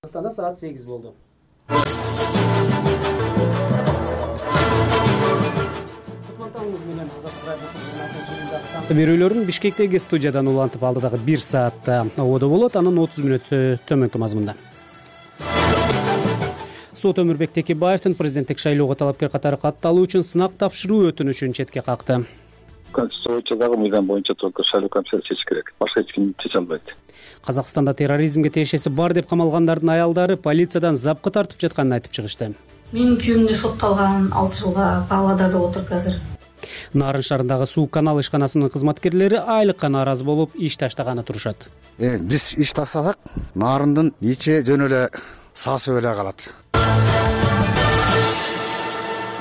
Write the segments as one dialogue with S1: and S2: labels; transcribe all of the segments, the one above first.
S1: Кыргызстанда саат 8 болду. Кутмантаңыз менен Азаттык радиосунун берүүлөрүн Бишкектеги студиядан улантып алды дагы 1 саатта ободо болот. Анын 30 мүнөтү төмөнкү мазмунда. Сот Өмүрбек Текебаевдин президенттик шайлоого талапкер катары катталуу үчүн сынак тапшыруу өтүнүшүн четке какты.
S2: Конституция боюнча дагы мыйзам боюнча только шайлоо комиссиясы чечиш керек. Башка эч ким чече албайт.
S1: Казакстанда терроризмге тиешеси бар деп камалгандардын аялдары полициядан запкы тартып жатканын айтып чыгышты.
S3: Менин күйөөм да сотталган 6 жылга Павлодарда отуруп азыр.
S1: Нарын шаарындагы суу канал ишканасынын кызматкерлери айлыкка нааразы болуп иш таштаганы турушат.
S4: Биз иш таштасак, Нарындын ичи жөн эле сасып эле калат.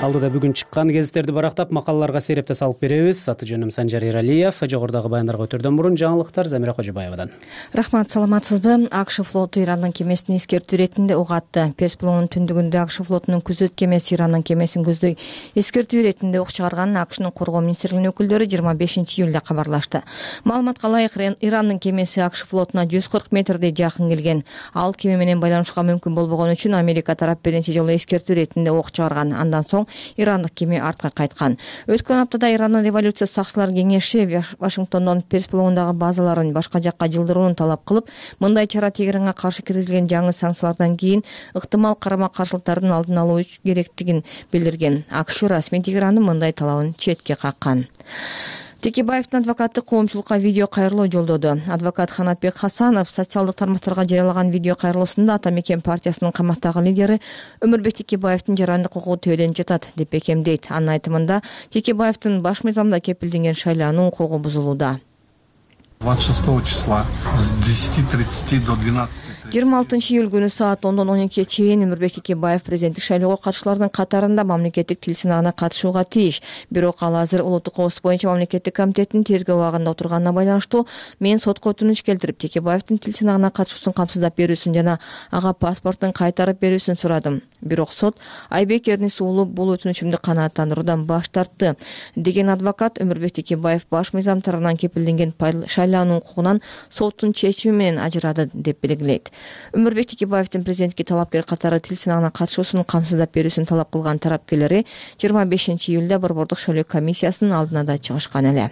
S1: Алдыда бүгүн чыккан гезиттерди барактап, макалаларга серепте салып беребиз. Аты жөнүм Санжар Иралиев. Жогорудагы баяндарга өтөрдөн мурун жаңылыктар Замира Кожобаевадан.
S5: Рахмат, саламатсызбы? АКШ флоту Ирандын кемесин эскертүү иретинде ок атты. Персиянын түндүгүндө АКШ флотунун күзөт кемеси Ирандын кемесин көздөй эскертүү иретинде ок чыгарганын АКШнын коргоо министрлигинин өкүлдөрү 25-июлда кабарлашты. Маалыматка ылайык, Ирандын кемеси АКШ флотуна 140 метрдей жакын келген. Ал кеме менен байланышка мүмкүн болбогон үчүн Америка тарап биринчи жолу эскертүү иретинде ок чыгарган. Андан соң ирандык кеме артка кайткан. Өткөн аптада Ирандын революция сакчылар кеңеши Вашингтондон Персиялдагы базаларын башка жакка жылдырууну талап кылып, мындай чара Тегеранга каршы киргизилген жаңы санкциялардан кийин ыктымал карама-каршылыктардын алдын алуу керектигин билдирген. АКШ расмий Тегерандын мындай талабын четке каккан. Текебаевдин адвокаты коомчулукка видео кайрылуу жолдоду. Адвокат Ханатбек Хасанов социалдык тармактарга жарыялаган видео кайрылуусунда Ата Мекен партиясынын камактагы лидери Өмүрбек Текебаевдин жарандык укугу төөлөнүп жатат деп бекемдейт. Анын айтымында Текебаевдин баш мыйзамда кепилденген шайлануу укугу бузулууда.
S6: 26 числа с 10:30 до 12.
S5: 26 июль күнү саат 10-дон 12-ге чейин Өмүрбек Текебаев президенттик шайлоого катышуулардын катарында мамлекеттик тил сынагына катышууга тийиш. Бирок ал азыр улуттук коопсуздук боюнча мамлекеттик комитеттин тергөө абагында отурганына байланыштуу мен сотко өтүнүч келтирип, Текебаевдин тил сынагына катышуусун камсыздап берүүсүн жана ага паспортун кайтарып берүүсүн сурадым. Бирок сот Айбек Эрнис уулу бул өтүнүчүмдү канааттандыруудан баш тартты деген адвокат Өмүрбек Текебаев баш мыйзам тарабынан кепилденген шайлануу укугунан соттун чечими менен ажырады деп белгилейт. Өмүрбек Текебаевдин президентке талапкер катары тил сынагына катышуусун камсыздап берүүсүн талап кылган тарапкерлери 25-июлда Борбордук шайлоо комиссиясынын алдына да чыгышкан эле.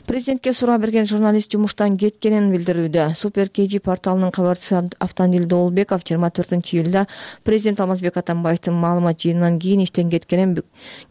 S5: Президентке суроо берген журналист жумуштан кеткенин билдирүүдө. Супер KG порталынын кабарчысы Автандил Доолбеков 24-июлда президент Алмазбек Атамбаевдин маалымат жыйынынан кийин иштен кеткенин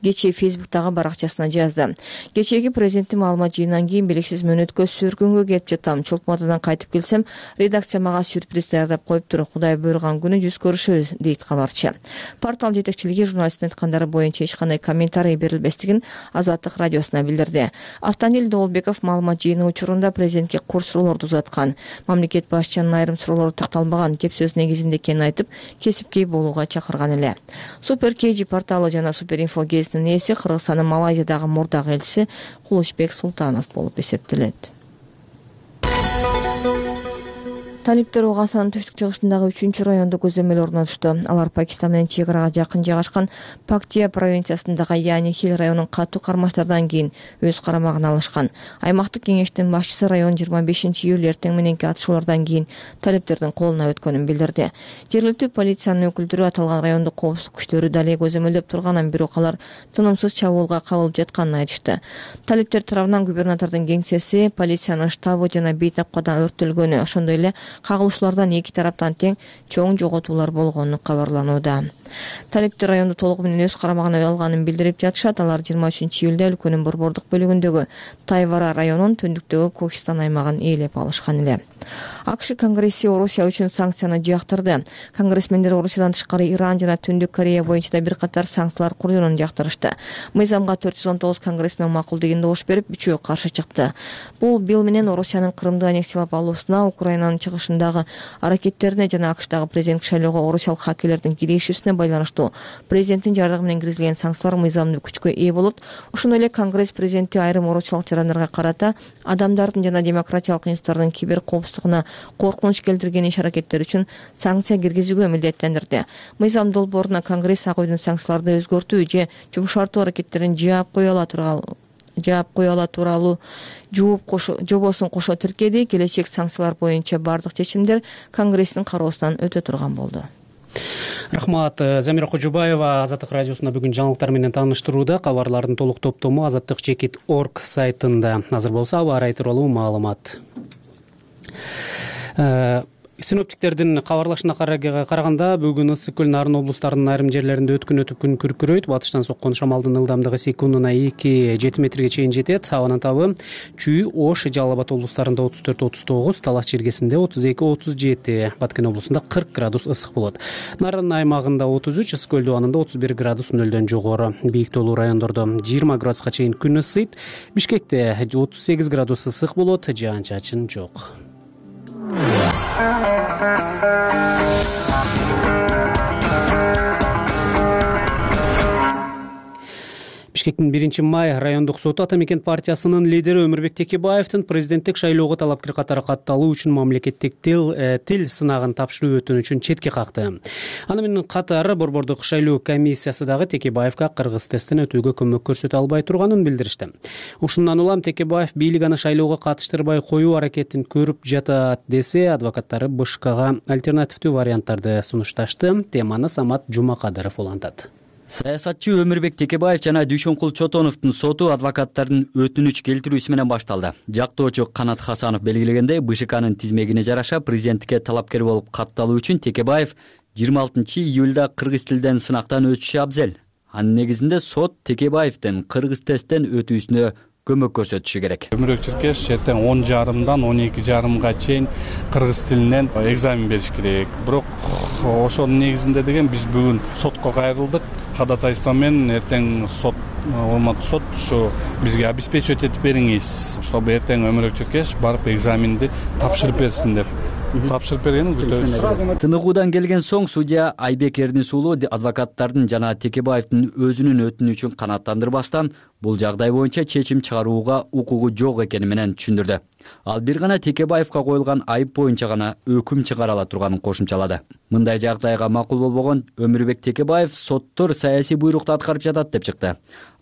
S5: кечээ Фейсбуктагы баракчасына жазды. Кечээги президенттин маалымат жыйынынан кийин белгисиз мөөнөткө сүргүнгө келип жатам. Чолпонтадан кайтып келсем, редакция мага сюрприз даярдап коюптур. Кудай буйруган күнү жүз көрүшөбүз, дейт кабарчы. Портал жетекчилиги журналисттин айткандары боюнча эч кандай комментарий берилбестигин Азаттык радиосуна билдирди. Автандил Доолбеков маалымат жыйыны учурунда президентке кур суроолорду узаткан. Мамлекет башчынын айрым суроолору такталбаган, кеп сөз негизинде экенин айтып, кесипкей болууга чакырган эле. Супер KG порталы жана Супер Info гезитинин ээси Кыргызстандын Малайзиядагы мурдагы элчиси Кулучбек Султанов болуп эсептелет. Талиптер Ооганстандын түштүк-чыгышындагы 3-чү райондо көзөмөл орнотушту. Алар Пакистан менен чек арага жакын жайгашкан Пактия провинциясындагы Яни Хил районунун катуу кармаштардан кийин өз карамагына алышкан. Аймактык кеңештин башчысы район 25-июль эртең мененки атышуулардан кийин талиптердин колуна өткөнүн билдирди. Жергиликтүү полициянын өкүлдөрү аталган райондо коопсуздук күчтөрү дале көзөмөлдөп турганын, бирок алар тынымсыз чабуулга кабылып жатканын айтышты. Талиптер тарабынан губернатордун кеңсеси, полициянын штабы жана бейтапкадан өрттөлгөнү, ошондой эле кагылышуулардан эки тараптан тең чоң жоготуулар болгону кабарланууда. Талиптер районду толугу менен өз карамагына алганын билдирип жатышат. Алар 23-июлда өлкөнүн борбордук бөлүгүндөгү Тайвара районунун түндүктөгү Кокистан аймагын ээлеп алышкан эле. АКШ Конгресси Орусия үчүн санкцияны жактырды. Конгрессмендер Орусиядан тышкары Иран жана Түндүк Корея боюнча да бир катар санкциялар курууну жактырышты. Мыйзамга 419 конгрессмен макул деген добуш берип, 3-өө каршы чыкты. Бул бил менен Орусиянын Крымды аннексиялап алуусуна, Украинанын чыгышындагы аракеттерине жана АКШдагы президенттик шайлоого орусиялык хакерлердин киришүүсүнө байланыштуу президенттин жардамы менен киргизилген санкциялар мыйзамдуу күчкө ээ болот. Ошондой эле Конгресс президенти айрым орусиялык жарандарга карата адамдардын жана демократиялык институттардын кибер коопсуздугуна коркунуч келтирген иш-аракеттер үчүн санкция киргизүүгө милдеттендирди. Мыйзам долбооруна Конгресс ак үйдүн санкцияларды өзгөртүү же жумшартуу аракеттерин жаап кое ала турган жаап кое ала тууралуу жобосун кошо тиркеди. Келечек санкциялар боюнча бардык чечимдер Конгресстин кароосунан өтө турган болду.
S1: Рахмат. Замира Кожубаева Азаттык радиосунда бүгүн жаңылыктар менен тааныштырууда. Кабарлардын толук топтому azаттык.org сайтында. Азыр болсо аба ырайы тууралуу маалымат. Синоптиктердин кабарлашына караганда бүгүн Ысык көл, Нарын облустарынын айрым жерлеринде өткүн күн күркүрөйт. Батыштан соккон шамалдын ылдамдыгы секундуна 2-7 метрге чейин жетет. Абанын табы Чүй, Ош, Жалал Абад облустарында 34-39, Талас чергесинде 32-37, Баткен облусунда 40 градус ысык болот. Нарын аймагында 33, Ысык көл дубанында 31 градус нөлдөн жогору. Бийик тоолуу райондордо 20 градуска чейин күн ысыйт. Бишкекте 38 градус ысык болот, жаан-чачын жок. Бишкектин 1-май райондук соту Ата Мекен партиясынын лидери Өмүрбек Текебаевдин президенттик шайлоого талапкер катары катталуу үчүн мамлекеттик тил сынагын тапшыруу өтүнүчүн четке какты. Аны менен катары Борбордук шайлоо комиссиясы дагы Текебаевга кыргыз тесттен өтүүгө көмөк көрсөтө албай турганын билдиришти. Ушундан улам Текебаев бийлик аны шайлоого катыштырбай коюу аракетин көрүп жатат десе, адвокаттары БШКга альтернативдүү варианттарды сунушташты. Теманы Самат Жумакадыров улантат.
S7: Саясатчы Өмүрбек Текебаев жана Дүйшөнкул Чотоновдун соту адвокаттардын өтүнүч келтирүүсү менен башталды. Жактоочу Канат Хасанов белгилегендей, БШКнын тизмегине жараша президенттикке талапкер болуп катталуу үчүн Текебаев 26-июлда кыргыз тилден сынактан өтүшү абзел. Анын негизинде сот Текебаевдин кыргыз тесттен өтүүсүнө көмөк көрсөтүшү керек.
S6: Өмүрбек Черкеш эртең 10:30-дан 12:30 чейин кыргыз тилинен экзамен бериш керек. Бирок ошонун негизинде деген биз бүгүн сотко кайрылдык. Кадатайство менен эртең сот, урматтуу сот, ушу бизге обеспечивать этип бериңиз, чтобы эртең Өмүрбек Черкеш барып экзаменди тапшырып берсин деп. Тапшырып бергенин күтөбүз.
S7: Тыныгуудан келген соң судья Айбек Эрдинс уулу адвокаттардын жана Текебаевдин өзүнүн өтүнүчүн канааттандырбастан бул жагдай боюнча чечим чыгарууга укугу жок экени менен түшүндүрдү. Ал бир гана Текебаевга коюлган айып боюнча гана өкүм чыгара ала турганын кошумчалады. Мындай жагдайга макул болбогон Өмүрбек Текебаев соттор саясий буйрукту аткарып жатат деп чыкты.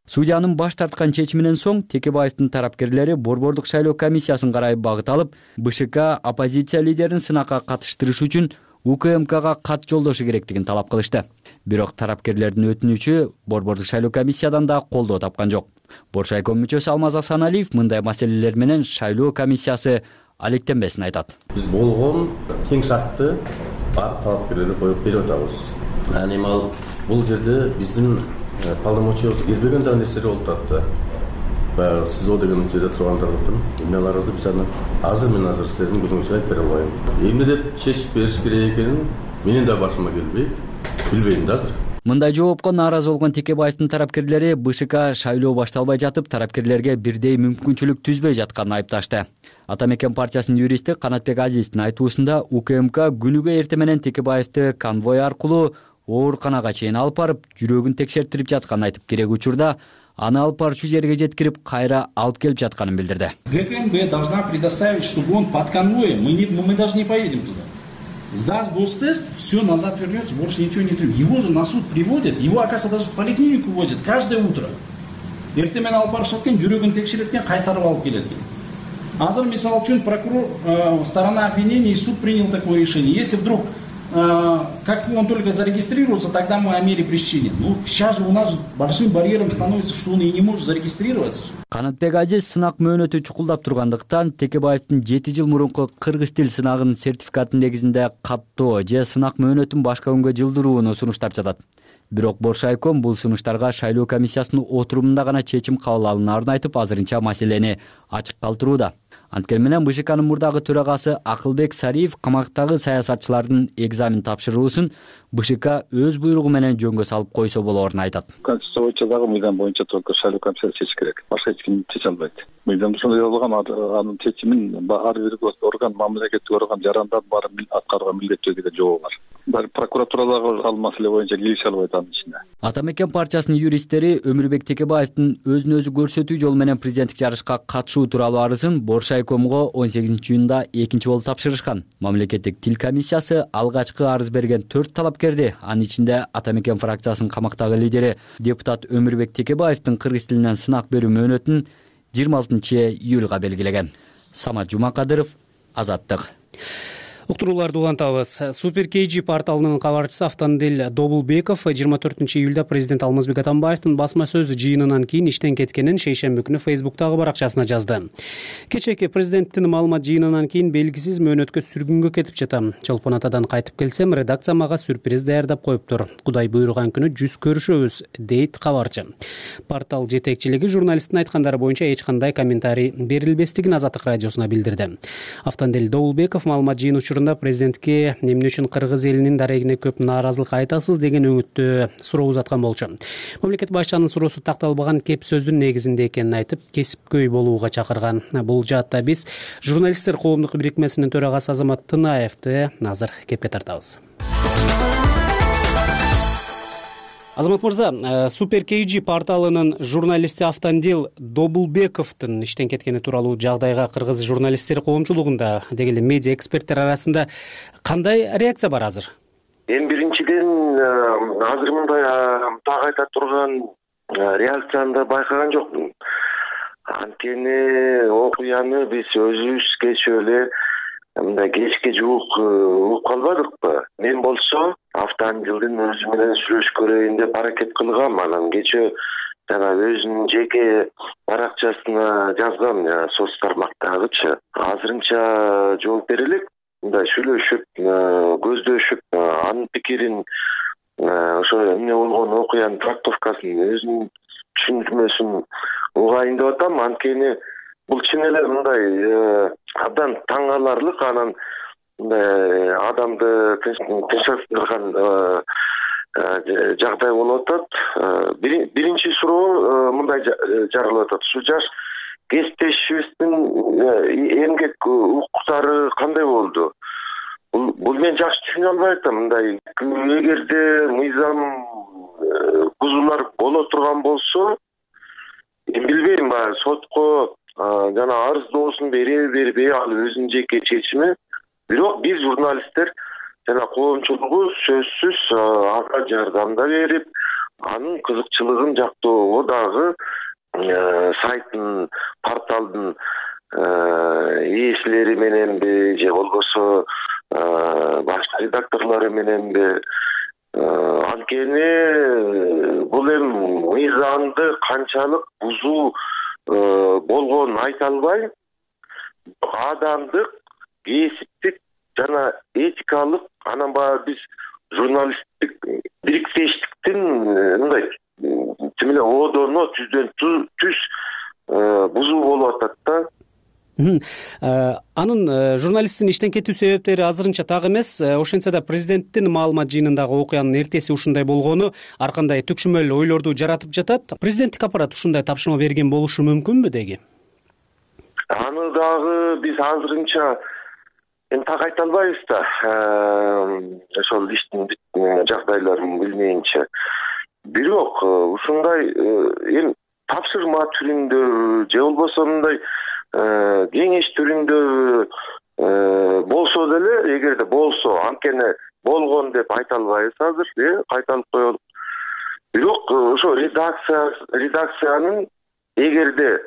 S7: Судьянын баш тарткан чечиминен соң Текебаевдин тарапкерлери Борбордук шайлоо комиссиясын карай багыт алып, БШК оппозиция лидерин сынакка катыштырыш үчүн УКМКга кат жолдошу керектигин талап кылышты. Бирок тарапкерлердин өтүнүчү Борбордук шайлоо комиссиядан да колдоо тапкан жок. Боршайком мүчөсү Алмаз Асаналиев мындай маселелер менен шайлоо комиссиясы алектенбесин айтат.
S8: Биз болгон тең шартты баардык талапкерлерге коюп берип атабыз. Эми бул жерде биздин полномочиябыз келбеген да нерселер болуп атты. Баягы СИЗО деген жерде тургандыгын, эмнелерди биз аны азыр силердин көзүңүзгө айтып бере албайм. Эмне деп чечип бериш керек экенин менин да башыма келбейт. Билбейм да азыр.
S7: Мындай жоопко нааразы болгон Текебаевдин тарапкерлери БШК шайлоо башталбай жатып, тарапкерлерге бирдей мүмкүнчүлүк түзбөй жатканын айыпташты. Ата Мекен партиясынын юристи Канатбек Азиздин айтуусунда УКМК күнүгө эртең менен Текебаевди конвой аркылуу ооруканага чейин алып барып, жүрөгүн текшертирип жатканын айтып, керек учурда аны алып барчу жерге жеткирип, кайра алып келип жатканын билдирди.
S9: ГКМБ должна предоставить, чтобы он под конвоем, мы даже не поедем туда. Сдаст гостест, все назад вернется, больше ничего не требует. Его же на суд приводят, его, оказывается, даже в поликлинику возят каждое утро. Эртең менен алып барышат экен, жүрөгүн текшерет экен, кайтарып алып келет экен. Азыр мисалы үчүн прокурор, сторона обвинения и суд принял такое решение. Если вдруг как он только зарегистрируется, тогда мы о мере пресечения. Ну, сейчас же у нас большим барьером становится, что он и не может зарегистрироваться.
S7: Канатбек Азиз сынак мөөнөтү чукулдап тургандыктан Текебаевдин 7 жыл мурунку кыргыз тил сынагынын сертификатын негизинде каттоо же сынак мөөнөтүн башка күнгө жылдырууну сунуштап жатат. Бирок Боршайком бул сунуштарга шайлоо комиссиясынын отурумунда гана чечим кабыл алынаарын айтып, азырынча маселени ачык калтырууда. Анткени менен БШКнын мурдагы төрагасы Акылбек Сариев камактагы саясатчылардын экзамен тапшыруусун БШК өз буйругу менен жөнгө салып койсо болоорун айтат.
S2: Конституция боюнча дагы мыйзам боюнча только шайлоо комиссиясы чечиш керек. Башка эч ким чече албайт. Мыйзамда ошондой жазылган, анын чечимин ар бир орган, мамлекеттик орган жарандар баары аткарууга милдеттүү деген жобо бар. Прокуратурадагы ал маселе боюнча кирише албайт анын ичине.
S7: Ата Мекен партиясынын юристтери Өмүрбек Текебаевдин өзүн өзү көрсөтүү жолу менен президенттик жарышка катышуу тууралуу арызын Боршайкомго 18-июнда экинчи болуп тапшырышкан. Мамлекеттик тил комиссиясы алгачкы арыз берген 4 талапкерди, анын ичинде Ата Мекен фракциясынын камактагы лидери депутат Өмүрбек Текебаевдин кыргыз тилинен сынак берүү мөөнөтүн 26-июлга белгилеген. Самат Жумакадыров, Азаттык.
S1: Уктурууларды улантабыз. Супер KG порталынын кабарчысы Автандил Добулбеков 24-июлда президент Алмазбек Атамбаевдин басма сөз жыйынынан кийин иштен кеткенин шейшемби күнү Facebooktагы баракчасына жазды. Кечээки президенттин маалымат жыйынынан кийин белгисиз мөөнөткө сүргүнгө кетип жатам. Чолпон Атадан кайтып келсем, редакция мага сюрприз даярдап коюптур. Кудай буйруган күнү жүз көрүшөбүз, дейт кабарчы. Портал жетекчилиги журналисттин айткандары боюнча эч кандай комментарий берилбестигин Азаттык радиосуна билдирди. Автандил Добулбеков маалымат жыйыны президентке эмне үчүн кыргыз элинин дарегине көп нааразылык айтасыз деген өңүттө суроо узаткан болчу. Мамлекет башчынын суроосу такталбаган кеп сөздүн негизинде экенин айтып, кесипкөй болууга чакырган. Бул жаатта биз журналисттер коомдук бирикмесинин төрагасы Азамат Тынаевди азыр кепке тартабыз. Азамат мырза, Супер KG порталынын журналисти Автандил Добулбековдун иштен кеткени тууралуу жагдайга кыргыз журналисттер коомчулугунда деги эле медиа эксперттер арасында кандай реакция бар азыр?
S10: Эң биринчиден азыр мындай так айта турган реакцияны да байкаган жокмун. Анткени окуяны биз өзүбүз кечээ эле мындай кечке жуук угуп калбадыкпы? Мен болсо Автандилдин өзү менен сүйлөшүп көрөйүн деп аракет кылгам. Анан кечээ жана өзүнүн жеке баракчасына жазгам, соц тармактагычы. Азырынча жооп бере элек. Мындай сүйлөшүп, көздөшүп, анын пикирин, ошо эмне болгон окуянын трактовкасын, өзүнүн түшүндүрмөсүн угайын деп атам. Анткени бул чын эле мындай абдан таң каларлык, анан мындай адамды тынчсыздырган жагдай болуп атат. Биринчи суроо мындай жаралып атат. Ушу жаш кесиптешибиздин эмгек укуктары кандай болду? Бул мен жакшы түшүнө албай атам. Мындай эгерде мыйзам бузуулар боло турган болсо, билбейм, сотко жана арыздоосун береби бербей, ал өзүнүн жеке чечими. Бирок биз журналисттер жана коомчулугу сөзсүз ага жардам да берип, анын кызыкчылыгын жактоого дагы сайттын, порталдын ээсилери мененби же болбосо башка редакторлору мененби. Анткени бул эми мыйзамды канчалык бузуу болгонун айта албайм. Адамдык, кесиптик жана этикалык, анан баягы биз журналисттик бириктештиктин мындай тим эле одоно түздөн түз бузуу болуп атат да.
S1: Анын журналисттин иштен кетүү себептери азырынча так эмес. Ошентсе да президенттин маалымат жыйынындагы окуянын эртеси ушундай болгону ар кандай түкшүмөл ойлорду жаратып жатат. Президенттик аппарат ушундай тапшырма берген болушу мүмкүнбү деги?
S10: Аны дагы биз азырынча так айта албайбыз да. Ошол иштин жагдайларын билмейинче. Бирок ушундай эми тапшырма түрүндө же болбосо мындай кеңеш түрүндө болсо деле, эгерде болсо, анткени болгон деп айта албайбыз азыр, кайталып коелук. Бирок ошо редакциянын эгерде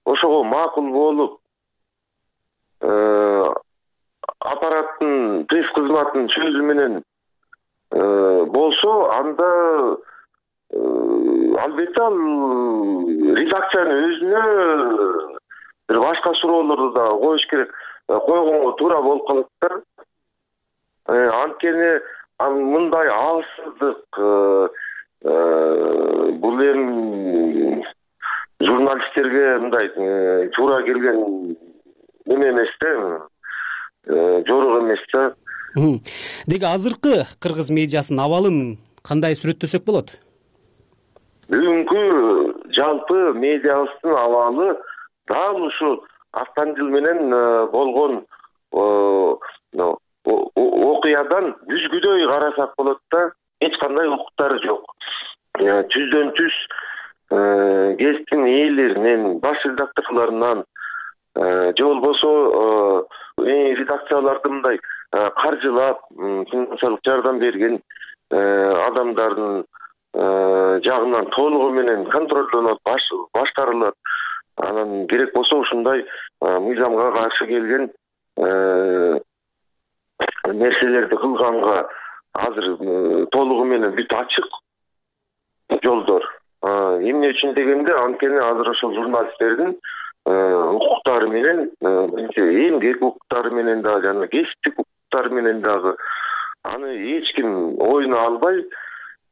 S10: ошого макул болуп аппараттын пресс кызматынын сөзү менен болсо, анда албетте ал редакциянын өзүнө бир башка суроолорду да коюш керек, койгонго туура болуп калат да. Анткени мындай алсыздык бул эми журналисттерге мындай туура келген эме эмес да, жорук эмес да.
S1: Деги азыркы кыргыз медиасынын абалын кандай сүрөттөсөк болот?
S10: Бүгүнкү жалпы медиабыздын абалы дал ушу Автандил менен болгон окуядан дүзгүдөй карасак болот да. Эч кандай укуктары жок. Түздөн түз гезиттин ээлеринен, баш редакторлорунан же болбосо редакцияларды мындай каржылап, финансылык жардам берген адамдардын жагынан толугу менен контролдонот, башкарылат. Анан керек болсо ушундай мыйзамга каршы келген нерселерди кылганга азыр толугу менен бүт ачык жолдор. Эмне үчүн дегенде, анткени азыр ошол журналисттердин укуктары менен, эмгек укуктары менен дагы жана кесиптик укуктары менен дагы аны эч ким оюна албай,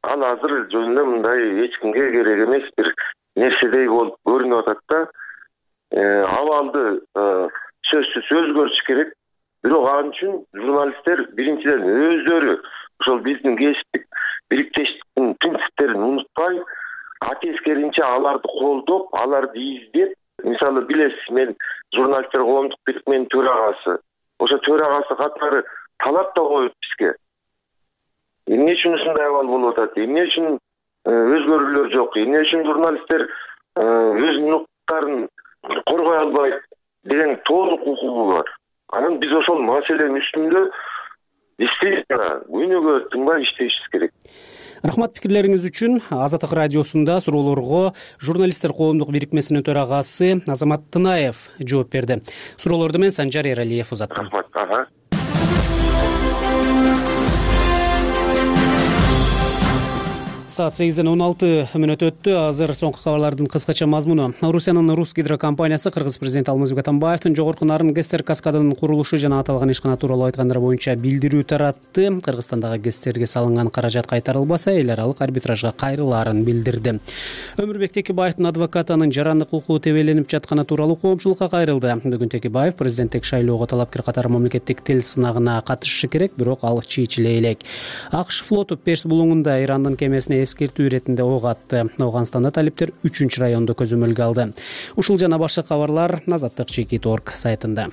S10: ал азыр жөнүндө мындай эч кимге керек эмес бир нерседей болуп көрүнүп атат да. Абалды сөзсүз өзгөртүш керек. Бирок ал үчүн журналисттер биринчиден өздөрү ошол биздин кесиптик бириктештиктин принциптерин унутпай, атескеринче аларды колдоп, аларды издеп, мисалы билесиз, мен журналисттер коомдук бирикменин төрагасы. Ошо төрагасы катары талап да коюп бизге. Эмне үчүн ушундай абал болуп атат? Эмне үчүн өзгөрүүлөр жок? Эмне үчүн журналисттер өзүнүн укуктарын коргой албайт деген толук укугу бар. Анан биз ошол маселенин үстүндө действительно күнүгө тынбай иштешибиз керек.
S1: Рахмат пикирлериңиз үчүн. Азаттык радиосунда суроолорго журналисттер коомдук бирикмесинин төрагасы Азамат Тынаев жооп берди. Суроолорду мен Санжар Эралиев узаттым.
S10: Рахмат.
S1: Саат 8:16 өттү. Азыр соңку кабарлардын кыскача мазмуну. Орусиянын Рус гидрокомпаниясы Кыргыз президенти Алмазбек Атамбаевдин жогорку нарын ГЭСтер каскадынын курулушу жана аталган ишкана тууралуу айткандар боюнча билдирүү таратты. Кыргызстандагы ГЭСтерге салынган каражат кайтарылбаса, эл аралык арбитражга кайрылаарын билдирди. Өмүрбек Текебаевдин адвокаты анын жарандык укугу тебеленип жатканы тууралуу коомчулукка кайрылды. Бүгүн Текебаев президенттик шайлоого талапкер катары мамлекеттик тил сынагына катышышы керек, бирок ал чийчилей элек. АКШ флоту Перс булуңунда Ирандын кемесине эскертүү иретинде ок атты. Ауганстанда талиптер 3 райондо көзөмөлгө алды. Ушул жана башка кабарлар Азаттык.org сайтында.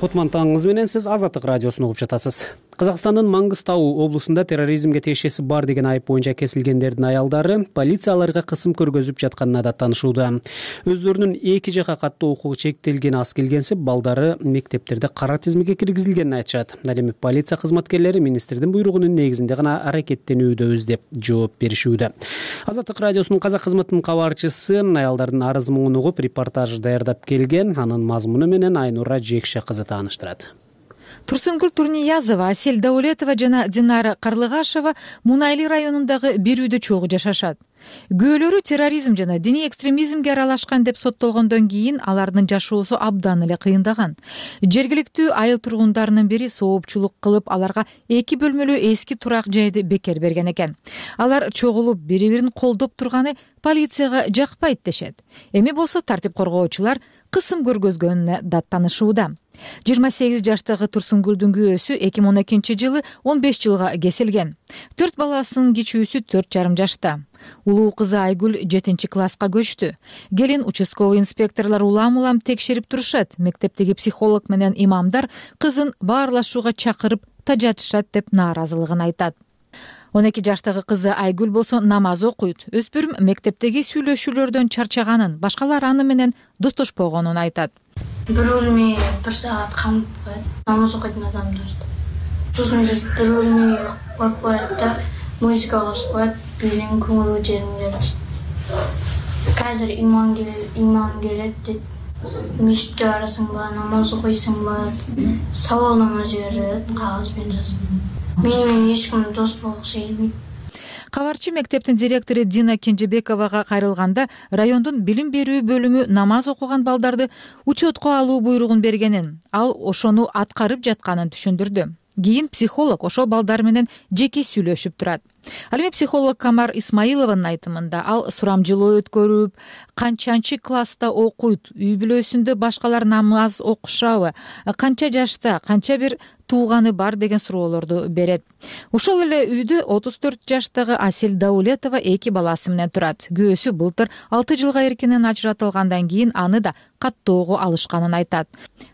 S1: Кутман таңыңыз менен, сиз Азаттык радиосун угуп жатасыз. Казакстандын Маңгыстау облусунда терроризмге тиешеси бар деген айып боюнча кесилгендердин аялдары полиция аларга кысым көргөзүп жатканына да таанышууда. Өздөрүнүн эки жака каттуу укугу чектелген аз келгенсип, балдары мектептерде кара тизмеге киргизилгенин айтышат. Ал эми полиция кызматкерлери министрдин буйругунун негизинде гана аракеттенүүдөбүз деп жооп беришүүдө. Азаттык радиосунун казак кызматынын кабарчысы аялдардын арыз муңун угуп репортаж даярдап келген. Анын мазмуну менен Айнура Жекше кызы тааныштырат.
S11: Турсунгүл Турниязова, Асель Даулетова жана Динара Карлыгашева Мунайли районундагы бир үйдө чогуу жашашат. Күйөөлөрү терроризм жана диний экстремизмге аралашкан деп соттолгондон кийин алардын жашоосу абдан эле кыйындаган. Жергиликтүү айыл тургундарынын бири соопчулук кылып, аларга 2 бөлмөлүү эски турак жайды бекер берген экен. Алар чогулуп бири-бирин колдоп турганы полицияга жакпайт дешет. Эми болсо тартип коргоочулар кысым көргөзгөнүнө даттанышууда. 28 жаштагы Турсунгүлдүн күйөөсү 2012 жылы 15 жылга кесилген. 4 баласынын кичүүсү 4,5 жашта. Улуу кызы Айгүл 7 класска көчтү. Келин участковый инспекторлор улам-улам текшерип турушат. Мектептеги психолог менен имамдар кызын баарлашууга чакырып тажатышат деп нааразылыгын айтат. 12 жаштагы кызы Айгүл болсо намаз окуйт. Өспүрүм мектептеги сүйлөшүүлөрдөн чарчаганын, башкалар аны менен достошпогонун айтат.
S3: Бир бөлмө 1 саат камып коет. Намаз окуйтун адамдарды. Сосын биз бир бөлмө коюп коет да, музыка косуп коет, бийлин көңүл жериңдерди. Казыр имам келет деп, мешитке барасыңбы, намаз окуйсуңбу, сабал намаз берет, кагаз менен жазып. Менин эч ким дос болгусу келбейт.
S11: Кабарчы мектептин директору Дина Кенжебековага кайрылганда райондун билим берүү бөлүмү намаз окуган балдарды учетко алуу буйругун бергенин, ал ошону аткарып жатканын түшүндүрдү. Кийин психолог ошол балдар менен жеке сүйлөшүп турат. Ал эми психолог Камар Исмаилованын айтымында ал сурамжылоо өткөрүп, канчанчы класста окуйт, үй бүлөсүндө башкалар намаз окушабы, канча жашта, канча бир тууганы бар деген суроолорду берет. Ошол эле үйдө 34 жаштагы Асель Даулетова 2 баласы менен турат. Күйөөсү былтыр 6 жылга эркинен ажыратылгандан кийин аны да каттоого алышканын айтат.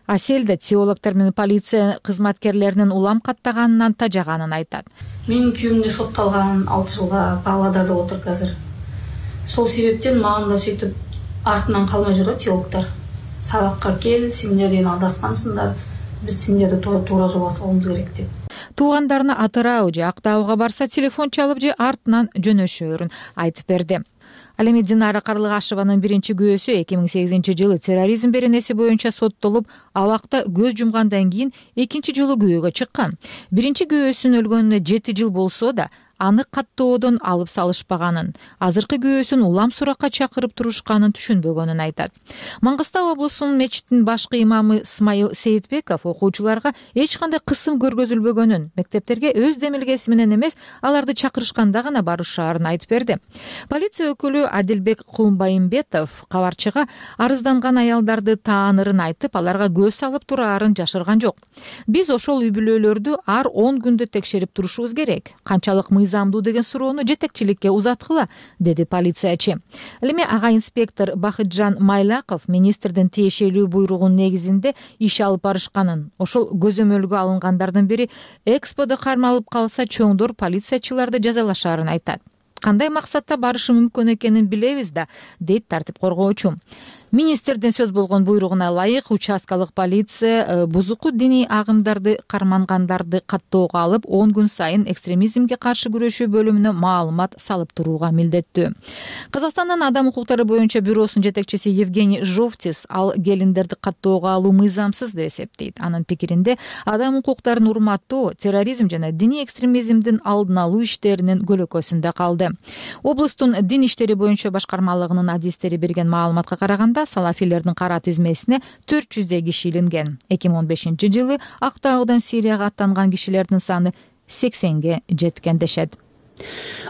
S11: Асель да теологдор менен полиция кызматкерлеринин улам каттаганынан тажаганын айтат.
S3: Менин күйөөм да сотталган 6 жылга Павлодарда отуруп азыр. Сол себептен маған да сөйтүп артынан калмай жүрөт теологдор. Сабакка кел, сендер адашкансыңдар. Биз сендерди туура жолго салуубуз керек деп.
S11: туугандарына атырау же Актауга барса телефон чалып же артынан жөнөшөөрүн айтып берди. Ал эми Динара Карлыгашеванын биринчи күйөөсү 2008-жылы терроризм беренеси боюнча соттолуп, абакта көз жумгандан кийин экинчи жолу күбөгө чыккан. Биринчи күйөөсүнүн өлгөнүнө 7 жыл болсо да, аны каттоодон алып салышпаганын, азыркы күйөөсүн улам суракка чакырып турушканын түшүнбөгөнүн айтат. Мангыстау облусунун мечитинин башкы имамы Исмайыл Сейитбеков окуучуларга эч кандай кысым көргөзүлбөгөнүн, мектептерге өз демилгеси менен эмес, аларды чакырышканда гана барышаарын айтып берди. Полиция өкүлү Адилбек Кулмбайымбетов кабарчыга арызданган аялдарды таанырын айтып, аларга көз салып тураарын жашырган жок. Биз ошол үй бүлөлөрдү ар 10 күндө текшерип турушубуз керек. Канчалык мыйзамдуу деген суроону жетекчиликке узаткыла, деди полициячы. Ал эми ага инспектор Бахытжан Майлаков министрдин тиешелүү буйругунун негизинде иш алып барышканын, ошол көзөмөлгө алынгандардын бири Эксподо кармалып калса чоңдор полициячыларды жазалашаарын айтат. Кандай максатта барышы мүмкүн экенин билебиз да, дейт тартип коргоочу. Министрдин сөз болгон буйругуна ылайык участкалык полиция бузуку диний агымдарды кармангандарды каттоого алып, 10 күн сайын экстремизмге каршы күрөшүү бөлүмүнө маалымат салып турууга милдеттүү. Казакстандын адам укуктары боюнча бюросунун жетекчиси Евгений Жовтис ал келиндерди каттоого алуу мыйзамсыз деп эсептейт. Анын пикиринде адам укуктарын урматтоо терроризм жана диний экстремизмдин алдын алуу иштеринин көлөкөсүндө калды. Облустун дин иштери боюнча башкармалыгынын адистери берген маалыматка караганда, салафилердин кара тизмесине 400 киши илинген. 2015-жылы Актаудан Сирияга аттанган кишилердин саны 80ге жеткен дешет.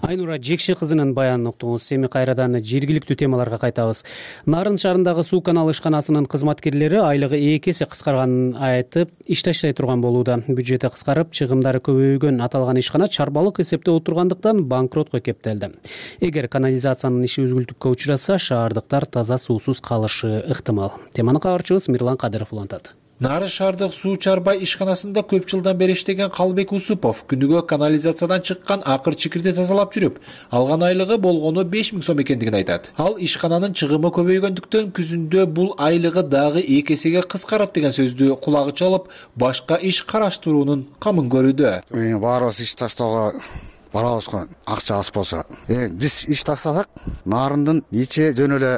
S1: Айнура Жекши кызынын баянын уктуңуз. Эми кайрадан жергиликтүү темаларга кайтабыз. Нарын шаарындагы суу канал ишканасынын кызматкерлери айлыгы 2 эсе кыскарганын айтып, иш таштай турган болууда. Бюджети кыскарып, чыгымдары көбөйгөн аталган ишкана чарбалык эсепте отургандыктан банкротко кептелди. Эгер канализациянын иши үзгүлтүккө учураса, шаардыктар таза суусуз калышы ыктымал. Теманы кабарчыбыз Мирлан Кадыров улантат.
S12: Нары шаардык суу чарбай ишканасында көп жылдан бери иштеген Калбек Усупов күнүгө канализациядан чыккан акыр чикирди тазалап жүрүп, алган айлыгы болгону 5000 сом экендигин айтат. Ал ишкананын чыгымы көбөйгөндүктөн күзүндө бул айлыгы дагы 2 эсеге кыскарат деген сөздү кулагы чалып, башка иш караштыруунун камын көрүүдө.
S4: Баарыбыз иш таштоого барабыз го, акча аз болсо. Биз иш таштасак, нарындын ичи жөн эле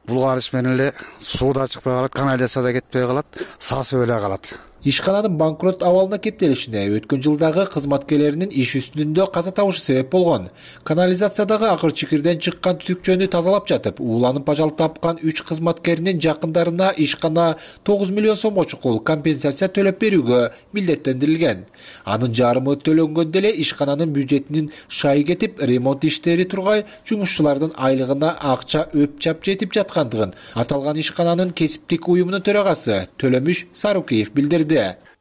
S4: булгарыш менен эле суу да чыкпай калат, канализация да кетпей калат, сасып эле калат.
S12: Ишкананын банкрот абалына кептелишине өткөн жылдагы кызматкерлеринин иш үстүндө каза табышы себеп болгон. Канализациядагы акыр чикирден чыккан түтүкчөнү тазалап жатып, ууланып ажал тапкан 3 кызматкеринин жакындарына ишкана 9 миллион сомго чукул компенсация төлөп берүүгө милдеттендирилген. Анын жарымы төлөнгөндө эле ишкананын бюджетинин шайы кетип, ремонт иштери тургай, жумушчулардын айлыгына акча өпчап жетип жаткандыгын аталган ишкананын кесиптик уюмунун төрагасы Төлөмүш Сарукеев билдирди.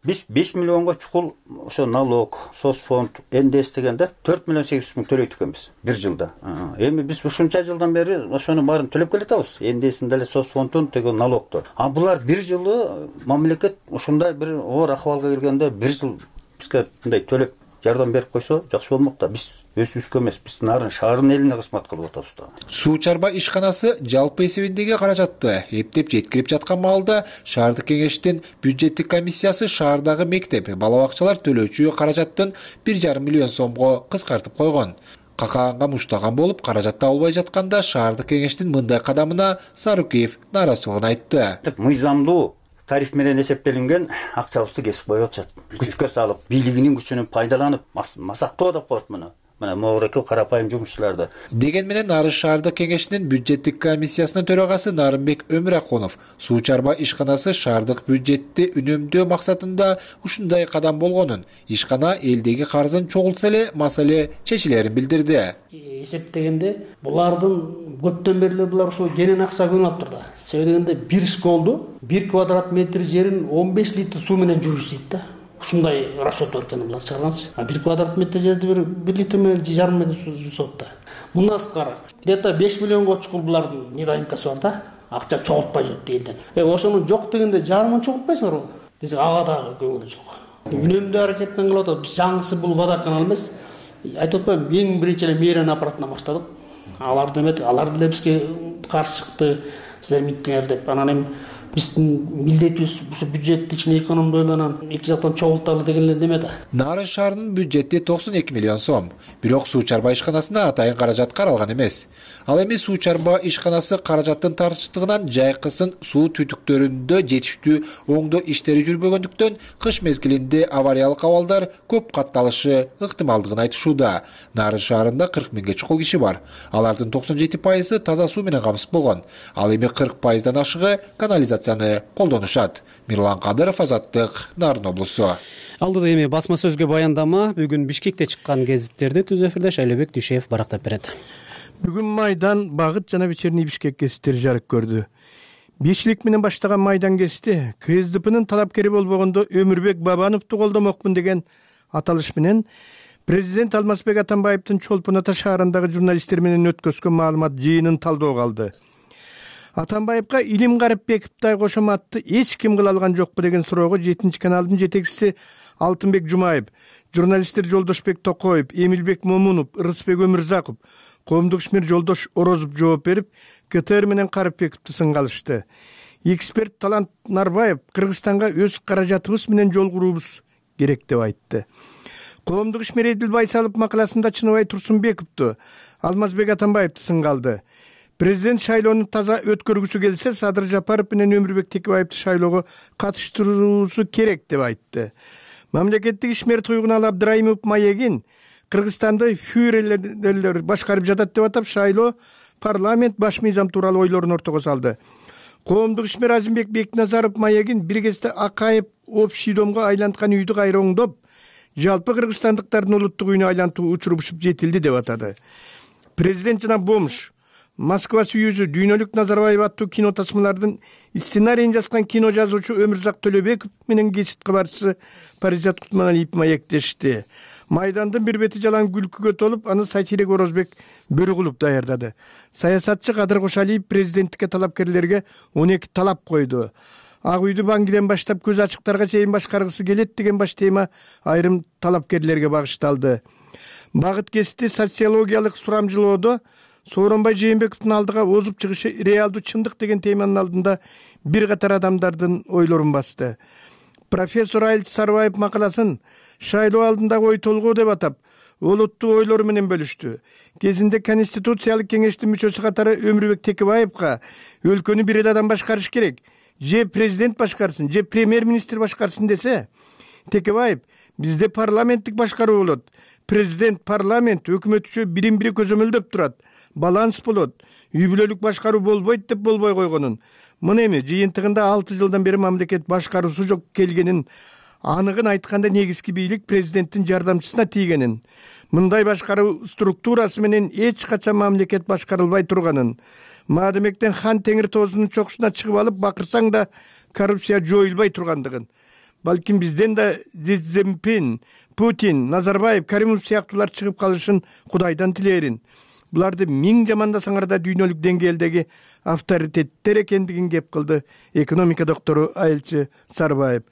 S13: Биз 5 миллионго чукул ошо налог, соцфонд, НДС дегенде 4 миллион 800 миң төлөйт экенбиз бир жылда. Эми биз ушунча жылдан бери ошонун баарын төлөп келатабыз. НДСин деле, соцфондун, деген налогду. Булар бир жылы мамлекет ушундай бир оор акыбалга келгенде бир жыл бизге мындай төлөп жардам берип койсо жакшы болмок да. Биз өзүбүзгө эмес, биз Нарын шаарынын элине кызмат кылып атабыз да.
S12: Суу чарбай ишканасы жалпы эсебиндеги каражатты эптеп жеткирип жаткан маалда шаардык кеңештин бюджеттик комиссиясы шаардагы мектеп, бала бакчалар төлөөчү каражаттын 1,5 миллион сомго кыскартып койгон. Какаганга муштаган болуп, каражат табылбай жатканда шаардык кеңештин мындай кадамына Сарукеев нааразычылыгын айтты.
S13: Мыйзамдуу тариф менен эсептелинген акчабызды кесип коюп атышат. Күчкө салып, бийлигинин күчүнөн пайдаланып, масактоо деп коет муну. Мына могуреки карапайым жумушчуларды.
S12: Деген менен Нарын шаардык кеңешинин бюджеттик комиссиясынын төрагасы Нарынбек Өмүракунов суу чарбай ишканасы шаардык бюджетти үнөмдөө максатында ушундай кадам болгонун, ишкана элдеги карызын чогултса эле маселе чечилерин билдирди.
S14: Эсептегенде булардын көптөн бери булар ошо женен акча көнүп атыптыр да. Себеби дегенде бир школду 1 квадрат метр жерин 15 литр суу менен жууйт дейт да. Ушундай расчет бар экен булар чыгарганчы. 1 квадрат метр жерди 1 литр менен жарым менен суу жуусат да. Мындан сырткары где-то 5 миллионго чукул булардын недоимкасы бар да. Акча чогултпай жүрүп элден. Ошону жок дегенде жарымын чогултпайсыңарбы? Десек ага дагы көңүлү жок. Үнөмдүү аракет менен кылып атат. Биз жаңысы бул водоканал эмес. Айтып атпаймынбы, эң биринчи эле мэрия аппаратынан баштадык. Алар деле бизге каршы чыкты. Силер миттиңер деп. Анан эми Биздин милдетибиз ушу бюджетти ичине экономдойланан эки жактан чогулталы деген эле неме да.
S12: Нарын шаарынын бюджети 92 миллион сом. Бирок суу чарба ишканасына атайын каражат каралган эмес. Ал эми суу чарба ишканасы каражаттын тартыштыгынан жайкысын суу түтүктөрүндө жетиштүү оңдоо иштери жүрбөгөндүктөн кыш мезгилинде авариялык абалдар көп катталышы ыктымалдыгын айтышууда. Нарын шаарында 40 миңге чукул киши бар. Алардын 97% таза суу менен камсыз болгон. Ал эми 40%дан ашыгы канализацияны колдонушат. Мирлан Кадыров, Азаттык, Нарын облусу.
S1: Алдыда эми басма сөзгө баяндама. Бүгүн Бишкекте чыккан гезиттерди түз эфирде Шайлообек Дүйшеев барактап берет.
S15: Бүгүн майдан Багыт жана Вечерний Бишкек гезиттери жарык көрдү. Бешилик менен баштаган майдан гезити КСДПнын талапкери болбогондо Өмүрбек Бабановду колдомокмун деген аталыш менен президент Алмазбек Атамбаевдин Чолпон Ата шаарындагы журналисттер менен өткөзгөн маалымат жыйынын талдоого алды. Атамбаевга Илим Гарипбековдой кошоматты эч ким кыла алган жокпу деген суроого 7 каналдын жетекчиси Алтынбек Жумаев, журналисттер Жолдошбек Токоев, Эмилбек Момунов, Ырысбек Өмүрзаков, коомдук ишмер Жолдош Орозов жооп берип, КТР менен Карипбековду сынгалышты. Эксперт Талант Нарбаев Кыргызстанга өз каражатыбыз менен жол куруубуз керек деп айтты. Коомдук ишмер Эдил Байсалов макаласында Чыныбай Турсунбековду, Алмазбек Атамбаевду сынгалды. Президент шайлоону таза өткөргүсү келсе, Садыр Жапаров менен Өмүрбек Текебаевди шайлоого катыштыруусу керек деп айтты. Мамлекеттик ишмер Туйгунал Абдраимов Маегин Кыргызстанды фюрерлер башкарып жатат деп атап, шайлоо парламент баш мыйзам тууралуу ойлорун ортого салды. Коомдук ишмер Азимбек Бекназаров Маегин бир кезде Акаев общий домго айланткан үйдү кайра оңдоп, жалпы кыргызстандыктардын улуттук үйүнө айлантуу учурушуп жетилди деп атады. Президент жана Бомш Москва сүйүүсү дүйнөлүк Назарбаев аттуу кино тасмалардын сценарийин жазган кино жазуучу Өмүрзак Төлөбеков менен гезит кабарчысы Паризат Кутманалиев маектешти. Майдандын бир бети жалаң күлкүгө толуп, аны сатирик Орозбек Бөрүгулов даярдады. Саясатчы Кадыр Кошалиев президенттикке талапкерлерге 12 талап койду. Ак үйдү Баңгиден баштап көз ачыктарга чейин башкаргысы келет деген баш тема айрым талапкерлерге багышталды. Багыт гезити социологиялык сурамжылоодо Сооронбай Жээнбековдун алдыга озуп чыгышы реалдуу чындык деген теманын алдында бир катар адамдардын ойлорун басты. Профессор Айыл Сарбаев макаласын шайлоо алдындагы ой толгоо деп атап, олуттуу ойлору менен бөлүштү. Кезинде Конституциялык кеңештин мүчөсү катары Өмүрбек Текебаевга өлкөнү бир эле адам башкарыш керек, же президент башкарсын, же премьер-министр башкарсын десе, Текебаев бизде парламенттик башкаруу болот. Президент, парламент, өкмөт үчөө бирин-бири көзөмөлдөп турат. Баланс болот. Үй бүлөлүк башкаруу болбойт деп болбой койгонун. Мына эми жыйынтыгында 6 жылдан бери мамлекет башкаруусу жок келгенин, аныгын айтканда негизги бийлик президенттин жардамчысына тийгенин, мындай башкаруу структурасы менен эч качан мамлекет башкарылбай турганын, маадамектен хан теңир тоозунун чокусуна чыгып алып бакырсаң да коррупция жоюлбай тургандыгын. Балким бизден да Цзиньпин, Путин, Назарбаев, Каримов сыяктуулар чыгып калышын Кудайдан тилээрин. Буларды миң жамандасаңар да дүйнөлүк деңгээлдеги авторитеттер экендигин кеп кылды экономика доктору Айылчы Сарбаев.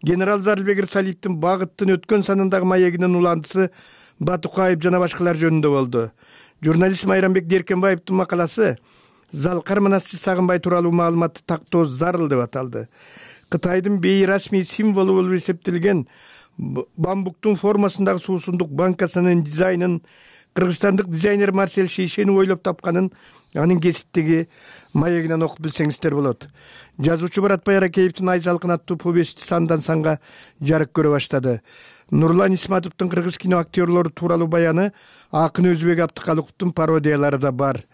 S15: Генерал Зарылбек Ирсалиевдин Багыттын өткөн санындагы маегинин уландысы Батукаев жана башкалар жөнүндө болду. Журналист Майрамбек Деркенбаевдин макаласы Залкар Манасчы Сагынбай тууралуу маалыматты тактоо зарыл деп аталды. Кытайдын бейрасмий символу болуп эсептелген бамбуктун формасындагы суусундук банкасынын дизайнын кыргызстандык дизайнер Марсель Шейшени ойлоп тапканын анын гезиттеги маегинен окуп билсеңиздер болот. Жазуучу Баратбай Аракеевдин Ай салкын аттуу повести сандан санга жарык көрө баштады. Нурлан Исматовдун кыргыз кино актерлору тууралуу баяны, акын Өзбек Абдыкалыковдун пародиялары да бар.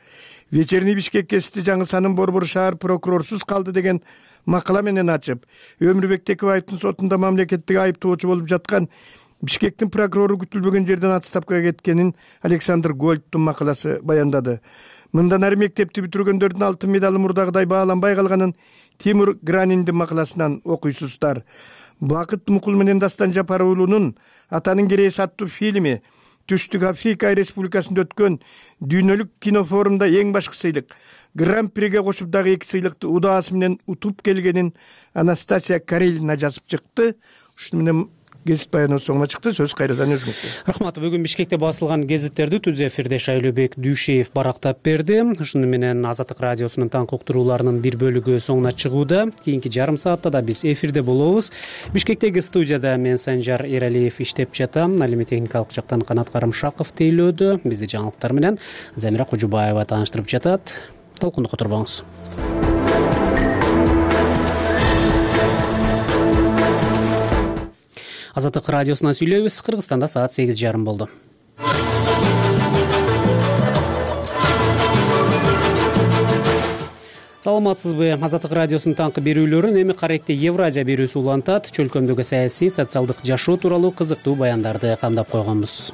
S15: Вечерний Бишкек гезити жаңы санын Борбор шаар прокурорсуз калды деген макала менен ачып, Өмүрбек Текебаевдин сотунда мамлекеттик айыптоочу болуп жаткан Бишкектин прокурору күтүлбөгөн жерден отставкага кеткенин Александр Гольдтун макаласы баяндады. Мындан ары мектепти бүтүргөндөрдүн алтын медалы мурдагыдай бааланбай калганын Тимур Граниндин макаласынан окуйсуздар. Бакыт Мукул менен Дастан Жапар уулунун Атанын керээси аттуу фильми Түштүк Африка Республикасында өткөн дүйнөлүк кинофорумда эң башкы сыйлык Гран-приге кошуп дагы 2 сыйлыкты удаасы менен утуп келгенин Анастасия Карелина жазып чыкты. Ушуну менен гезит баянынын соңуна чыкты. Сөз кайрадан өзүңүздө.
S1: Рахмат. Бүгүн Бишкекте басылган гезиттерди түз эфирде Шайлообек Дүйшеев барактап берди. Ушуну менен Азаттык радиосунун таңкы уктурууларынын бир бөлүгү соңуна чыгууда. Кийинки жарым саатта да биз эфирде болобуз. Бишкектеги студияда мен Санжар Эралиев иштеп жатам. Ал эми техникалык жактан Канат Карымшаков тейлөөдө. Бизди жаңылыктар менен Замира Кожубаева тааныштырып жатат. Толкундукка турбаңыз. Азаттык радиосунан сүйлөйбүз. Кыргызстанда саат 8:30 болду. Саламатсызбы? Азаттык радиосунун таңкы берүүлөрүн эми Каректе Евразия берүүсү улантат. Чөлкөмдөгү саясий, социалдык жашоо тууралуу кызыктуу баяндарды камдап койгонбуз.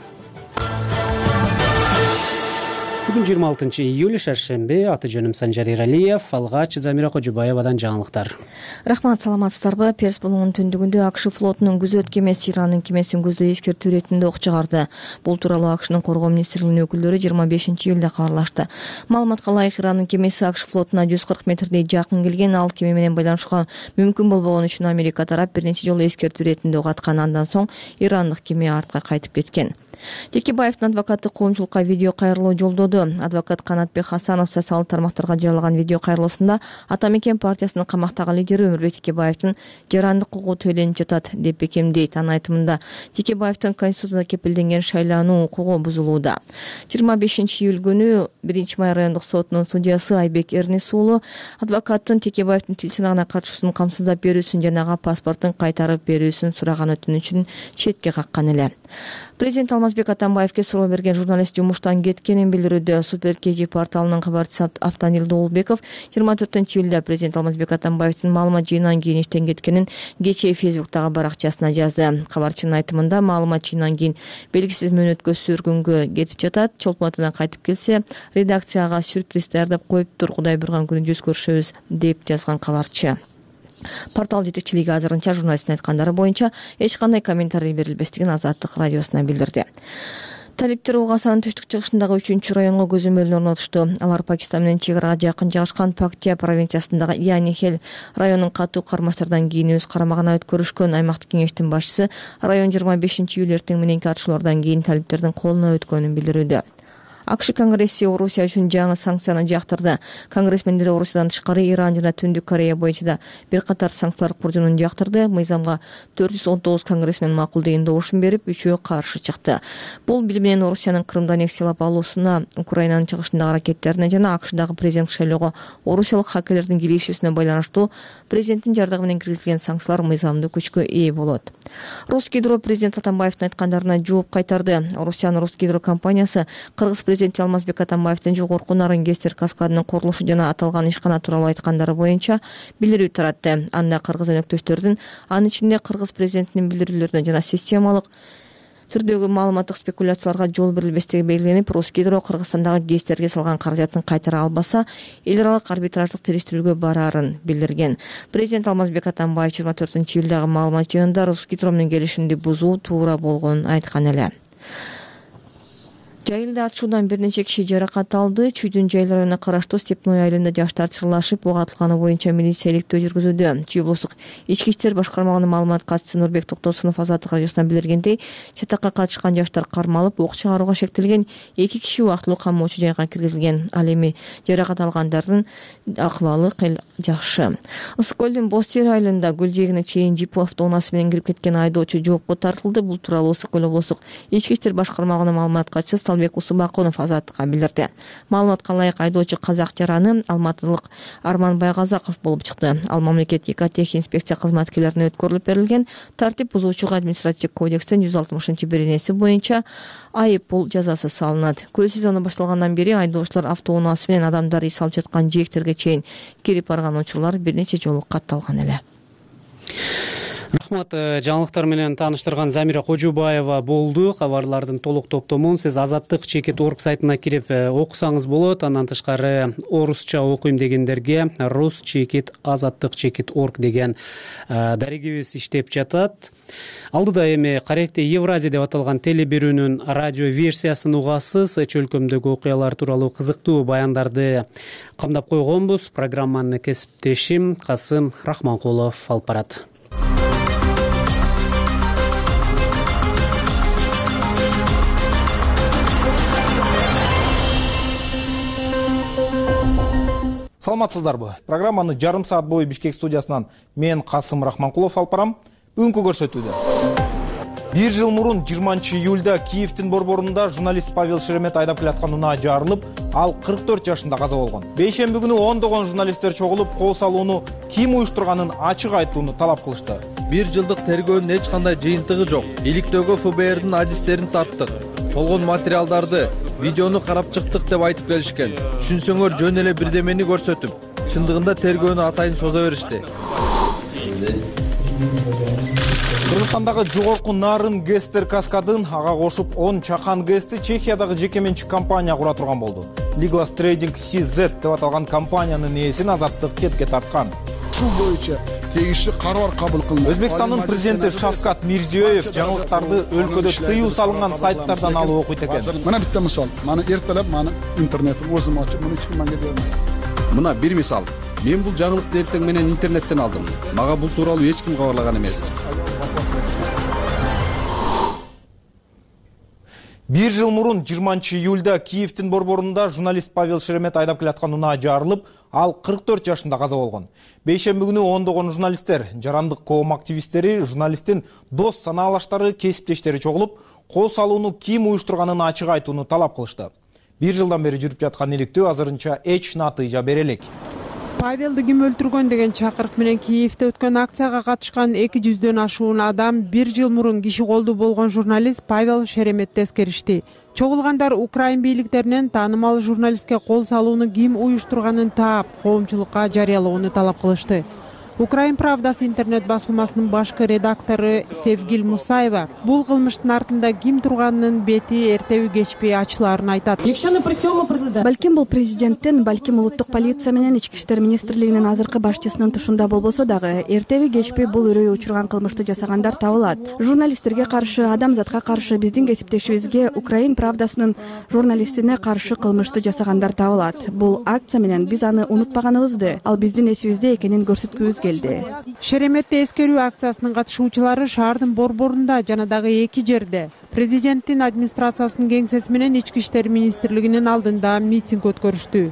S1: Бүгүн 26 июль шаршемби. Аты жөнүм Санжар Эралиев. Алгач Замира Кожубаевадан жаңылыктар.
S5: Рахмат, саламатсыздарбы? Перс болуунун түндүгүндө АКШ флотунун күзөт кемеси Ирандын кемесин көздөй эскертүү иретинде ок чыгарды. Бул тууралуу АКШнын коргоо министрлигинин өкүлдөрү 25 июлда кабарлашты. Маалыматка ылайык Ирандын кемеси АКШ флотуна 140 метрдей жакын келген. Ал кеме менен байланышууга мүмкүн болбогон үчүн Америка тарап бир нече жолу эскертүү иретинде ок аткан. Андан соң ирандык кеме артка кайтып кеткен. Текебаевдин адвокаты коомчулукка видео кайрылуу жолдоду. Адвокат Канатбек Хасанов социалдык тармактарга жарыялаган видео кайрылуусунда Ата Мекен партиясынын камактагы лидери Өмүрбек Текебаевдин жарандык укугу төленип жатат деп бекемдейт. Анын айтымында Текебаевдин конституцияда кепилденген шайлануу укугу бузулууда. 25 июль күнү 1-Май райондук сотунун судьясы Айбек Эрнис уулу адвокаттын Текебаевдин тил сынагына катышуусун камсыздап берүүсүн жана ага паспортун кайтарып берүүсүн сураган өтүнүчүн четке каккан эле. Президент Алмазбек Атамбаевге суроо берген журналист жумуштан кеткенин билдирүүдө. Супер КЖ порталынын кабарчысы Автанил Доолбеков 24 июлда президент Алмазбек Атамбаевдин маалымат жыйынан кийин иштен кеткенин кечээ Фейсбуктагы баракчасына жазды. Кабарчынын айтымында маалымат жыйынан кийин белгисиз мөөнөткө сүргүнгө кетип жатат. Чолпон атадан кайтып келсе, редакцияга сюрприз даярдап коюптур. Кудай бурган күнү жүз көрүшөбүз деп жазган кабарчы. Портал жетекчилиги азырынча журналисттин айткандары боюнча эч кандай комментарий берилбестигин Азаттык радиосуна билдирди. Талиптер Угасанын түштүк чыгышындагы 3-чү районго көзөмөлүн орнотушту. Алар Пакистан менен чек арага жакын жайгашкан Пактия провинциясындагы Янихел районун катуу кармаштардан кийин өз карамагына өткөрүшкөн. Аймактык кеңештин башчысы район 25 июль эртең мененки атышуулардан кийин талиптердин колуна өткөнүн билдирүүдө. АКШ Конгресси Орусия үчүн жаңы санкцияны жактырды. Конгрессмендер Орусиядан тышкары Иран жана Түндүк Корея боюнча да бир катар санкциялар куржунун жактырды. Мыйзамга 419 конгрессмен макул деген добушун берип, 3-өө каршы чыкты. Бул бил менен Орусиянын Крымды аннексиялап алуусуна, Украинанын чыгышындагы аракеттерине жана АКШдагы президенттик шайлоого орусиялык хакерлердин киришүүсүнө байланыштуу президенттин жардамы менен киргизилген санкциялар мыйзамдуу күчкө ээ болот. Русгидро президент Атамбаевдин айткандарына жооп кайтарды. Орусиянын Русгидро компаниясы Кыргыз президенти Алмазбек Атамбаевдин жогорку Нарын Гестер каскадынын курулушу жана аталган ишкана тууралуу айткандары боюнча билдирүү таратты. Анда кыргыз өнөктөштөрдүн, анын ичинде кыргыз президентинин билдирүүлөрүнө жана системалык түрдөгү маалыматтык спекуляцияларга жол берилбестиги белгиленип, Русгидро Кыргызстандагы Гестерге салган каражатын кайтара албаса, эл аралык арбитраждык териштирүүгө бараарын билдирген. Президент Алмазбек Атамбаев 24 июлдагы маалымат жыйынында Русгидро менен келишимди бузуу туура болгонун айткан эле. Жайылда атышуудан бир нече киши жаракат алды. Чүйдүн Жайыл районуна караштуу Степной айылында жаштар чырлашып, ок атылганы боюнча милиция иликтөө жүргүзүүдө. Чүй облустук ички иштер башкармалыгынын маалымат катчысы Нурбек Токтосунов Азаттык радиосуна билдиргендей, чатакка катышкан жаштар кармалып, ок чыгарууга шектелген, 2 киши убактылуу камоочу жайга киргизилген. Ал эми жаракат алгандардын акыбалы жакшы. Ысык көлдүн Боз Тери айылында гүл жээгине чейин жип автоунаасы менен кирип кеткен айдоочу жоопко тартылды. Бул тууралуу Ысык көл облустук ички иштер башкармалыгынын маалымат катчысы Салбек Усубакунов Азаттыкка билдирди. Маалыматка ылайык айдоочу казак жараны алматылык Арман Байгазаков болуп чыкты. Ал мамлекеттик ИКТ инспекция кызматкерлерине өткөрүлүп берилген. Тартип бузуучуга административдик кодекстин 160-беренеси боюнча айып пул жазасы салынат. Көл сезону башталгандан бери айдоочулар автоунаасы менен адамдар ий салып жаткан жээктерге чейин кирип барган учурлар бир нече жолу катталган эле.
S1: Рахмат, жаңылыктар менен тааныштырган Замира Кожубаева болду. Кабарлардын толук топтомун сиз Азаттык /org сайтына кирип окусаңыз болот. Андан тышкары орусча окуйм дегендерге rus/azattyk/org деген дарегибиз иштеп жатат. Алдыда эми Каректе Евразия деп аталган телеберүүнүн радио версиясын угасыз. Чөлкөмдөгү окуялар тууралуу кызыктуу баяндарды камдап койгонбуз. Программаны кесиптешим Касым Рахманкулов алып барат.
S16: Саламатсыздарбы? Программаны жарым саат бою Бишкек студиясынан мен Касым Рахманкулов алып барам. Бүгүнкү көрсөтүүдө 1 жыл мурун 20 июлда Киевдин борборунда журналист Павел Шеремет айдап келаткан унаа жарылып, ал 44 жашында каза болгон. Бейшемби күнү ондогон журналисттер чогулуп, кол салууну ким уюштурганын ачык айтууну талап кылышты.
S17: 1 жылдык тергөөнүн эч кандай жыйынтыгы жок. Иликтөөгө ФБРдин адистерин тарттык. Болгон материалдарды, видеону карап чыктык деп айтып келишкен. Түшүнсөңөр жөн эле бирдемени көрсөтүп, чындыгында тергөөнү атайын соза беришти.
S16: Кыргызстандагы жогорку нарын Гестер каскадын ага кошуп 10 чакан гэсти Чехиядагы жеке менчик компания кура турган болду. Liglas Trading CZ деп аталган компаниянын ээсин азаттык кетке тарткан.
S18: Ушул боюнча тегиштүү карар кабыл кылынды.
S16: Өзбекстандын президенти Шавкат Мирзиёев жаңылыктарды өлкөдө тыюу салынган сайттардан алып окуйт экен.
S18: Мына битте мисал. Мана эртелеп мана интернетти өзүм ачып, муну эч ким мага бербейт.
S17: Мына бир мисал. Мен бул жаңылыкты эртең менен интернеттен алдым. Мага бул тууралуу эч ким кабарлаган эмес.
S16: 1 жыл мурун 20 июлда Киевдин борборунда журналист Павел Шеремет айдап келаткан унаа жарылып, ал 44 жашында каза болгон. Бейшемби күнү ондогон журналисттер, жарандык коом активисттери, журналисттин дос санаалаштары, кесиптештери чогулуп, кол салууну ким уюштурганын ачык айтууну талап кылышты. 1 жылдан бери жүрүп жаткан иликтөө азырынча эч натыйжа бере элек.
S19: Павелди ким өлтүргөн деген чакырык менен Киевде өткөн акцияга катышкан 200дөн ашуун адам 1 жыл мурун киши колду болгон журналист Павел Шереметти эскеришти. Чогулгандар Украин бийликтеринен таанымал журналистке кол салууну ким уюштурганын таап, коомчулукка жарыялоону талап кылышты. Украин Правдасы интернет басылмасынын башкы редактору Севгил Мусаева бул кылмыштын артында ким турганынын бети эртеби кечпей ачылаарын айтат.
S20: Балким бул президенттин, балким улуттук полиция менен ички иштер министрлигинин азыркы башчысынын тушунда болбосо дагы, эртеби кечпей бул үрөй учурган кылмышты жасагандар табылат. Журналисттерге каршы, адамзатка каршы, биздин кесиптешибизге, Украин Правдасынын журналистине каршы кылмышты жасагандар табылат. Бул акция менен биз аны унутпаганыбызды, ал биздин эсибизде экенин көрсөткүбүз келди.
S19: Шереметти эскерүү акциясынын катышуучулары шаардын борборунда жана дагы 2 жерде президенттин администрациясынын кеңсеси менен ички иштер министрлигинин алдында митинг өткөрүштү.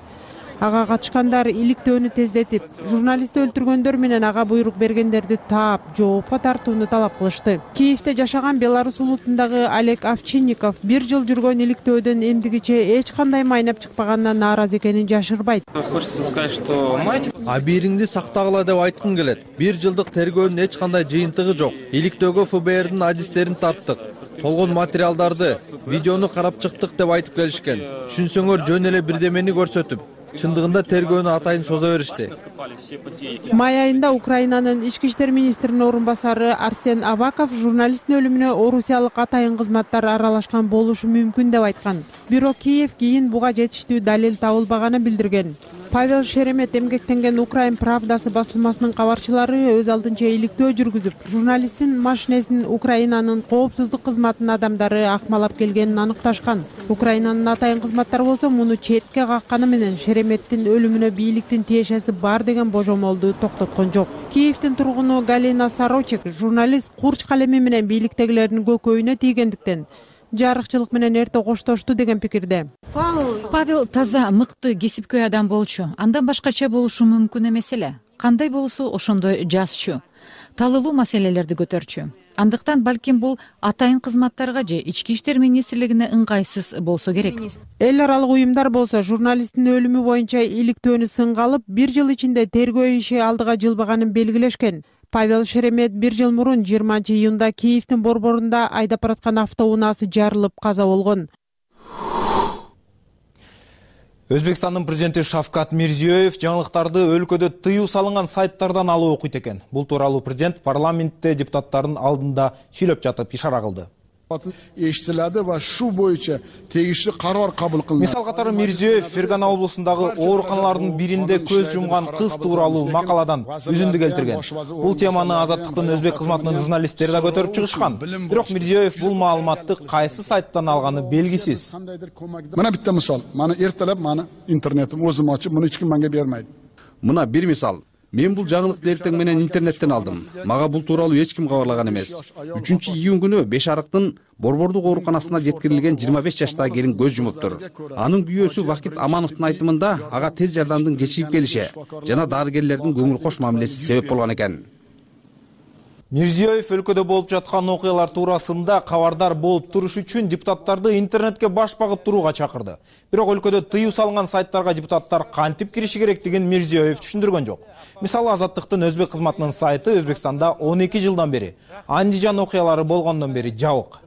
S19: Ага катышкандар иликтөөнү тездетип, журналистти өлтүргөндөр менен ага буйрук бергендерди таап, жоопко тартууну талап кылышты. Киевде жашаган Беларусь улутундагы Олег Овчинников 1 жыл жүргөн иликтөөдөн эмдигиче эч кандай майнап чыкпаганынан нааразы экенин жашырбайт.
S17: Хочется сказать, что абийириңди сактагыла деп айткым келет. 1 жылдык тергөөнүн эч кандай жыйынтыгы жок. Иликтөөгө ФБРдин адистерин тарттык. Болгон материалдарды, видеону карап чыктык деп айтып келишкен. Түшүнсөңөр жөн эле бирдемени көрсөтүп, чындыгында тергөөнү атайын соза беришти.
S19: Май айында Украинанын ички иштер министринин орун басары Арсен Аваков журналисттин өлүмүнө орусиялык атайын кызматтар аралашкан болушу мүмкүн деп айткан. Бирок Киев кийин буга жетиштүү далил табылбаганын билдирген. Павел Шеремет эмгектенген Украин Правдасы басылмасынын кабарчылары өз алдынча иликтөө жүргүзүп, журналисттин машинесин Украинанын коопсуздук кызматынын адамдары акмалап келгенин аныкташкан. Украинанын атайын кызматтары болсо муну четке какканы менен Шереметтин өлүмүнө бийликтин тиешеси бар деген божомолду токтоткон жок. Киевдин тургуну Галина Сорочек журналист курч калеми менен бийликтегилердин көкөйүнө тийгендиктен жарыкчылык менен эрте коштошту деген пикирде.
S11: Павел таза, мыкты, кесипкөй адам болчу. Андан башкача болушу мүмкүн эмес эле. Кандай болсо ошондой жазчу. Талылуу маселелерди көтөрчү. Андыктан балким бул атайын кызматтарга же ички иштер министрлигине ыңгайсыз болсо керек.
S19: Эл аралык уюмдар болсо журналисттин өлүмү боюнча иликтөөнү сынга алып, 1 жыл ичинде тергөө иши алдыга жылбаганын белгилешкен. Павел Шеремет 1 жыл мурун 20 июнда Киевдин борборунда айдап бараткан автоунаасы жарылып каза болгон.
S16: Өзбекстандын президенти Шавкат Мирзиёев жаңылыктарды өлкөдө тыюу салынган сайттардан алып окуйт экен. Бул тууралуу президент парламентте депутаттардын алдында сүйлөп жатып ишара кылды.
S18: Эштелди ва шу боюнча тегиштүү карар кабыл кылынды.
S16: Мисал катары Мирзиёев Фергана облусундагы ооруканалардын биринде көз жумган кыз тууралуу макаладан үзүндү келтирген. Бул теманы Азаттыктын өзбек кызматынын журналисттери да көтөрүп чыгышкан. Бирок Мирзиёев бул маалыматты кайсы сайттан алганы белгисиз.
S18: Мына битте мисал, мана эртелеп мана интернетим өзүм ачып, муну эч ким мага бермейт.
S17: Мына бир мисал.
S21: Мен бул жаңылыкты эртең менен интернеттен алдым. Мага бул тууралуу эч ким кабарлаган эмес. 3-июнь күнү 5 арыктын Борбордук ооруканасына жеткирилген 25 жаштагы келин көз жумуптур. Анын күйөөсү Вахит Амановдун айтымында ага тез жардамдын кечигип келиши жана дарыгерлердин көңүл кош мамилеси себеп болгон экен.
S16: Мирзиёев өлкөдө болуп жаткан окуялар туурасында кабардар болуп туруш үчүн депутаттарды интернетке баш багып турууга чакырды. Бирок өлкөдө тыюу салынган сайттарга депутаттар кантип кириши керектигин Мирзиёев түшүндүргөн жок. Мисалы, Азаттыктын өзбек кызматынын сайты Өзбекстанда 12 жылдан бери, Андижан окуялары болгондон бери жабык.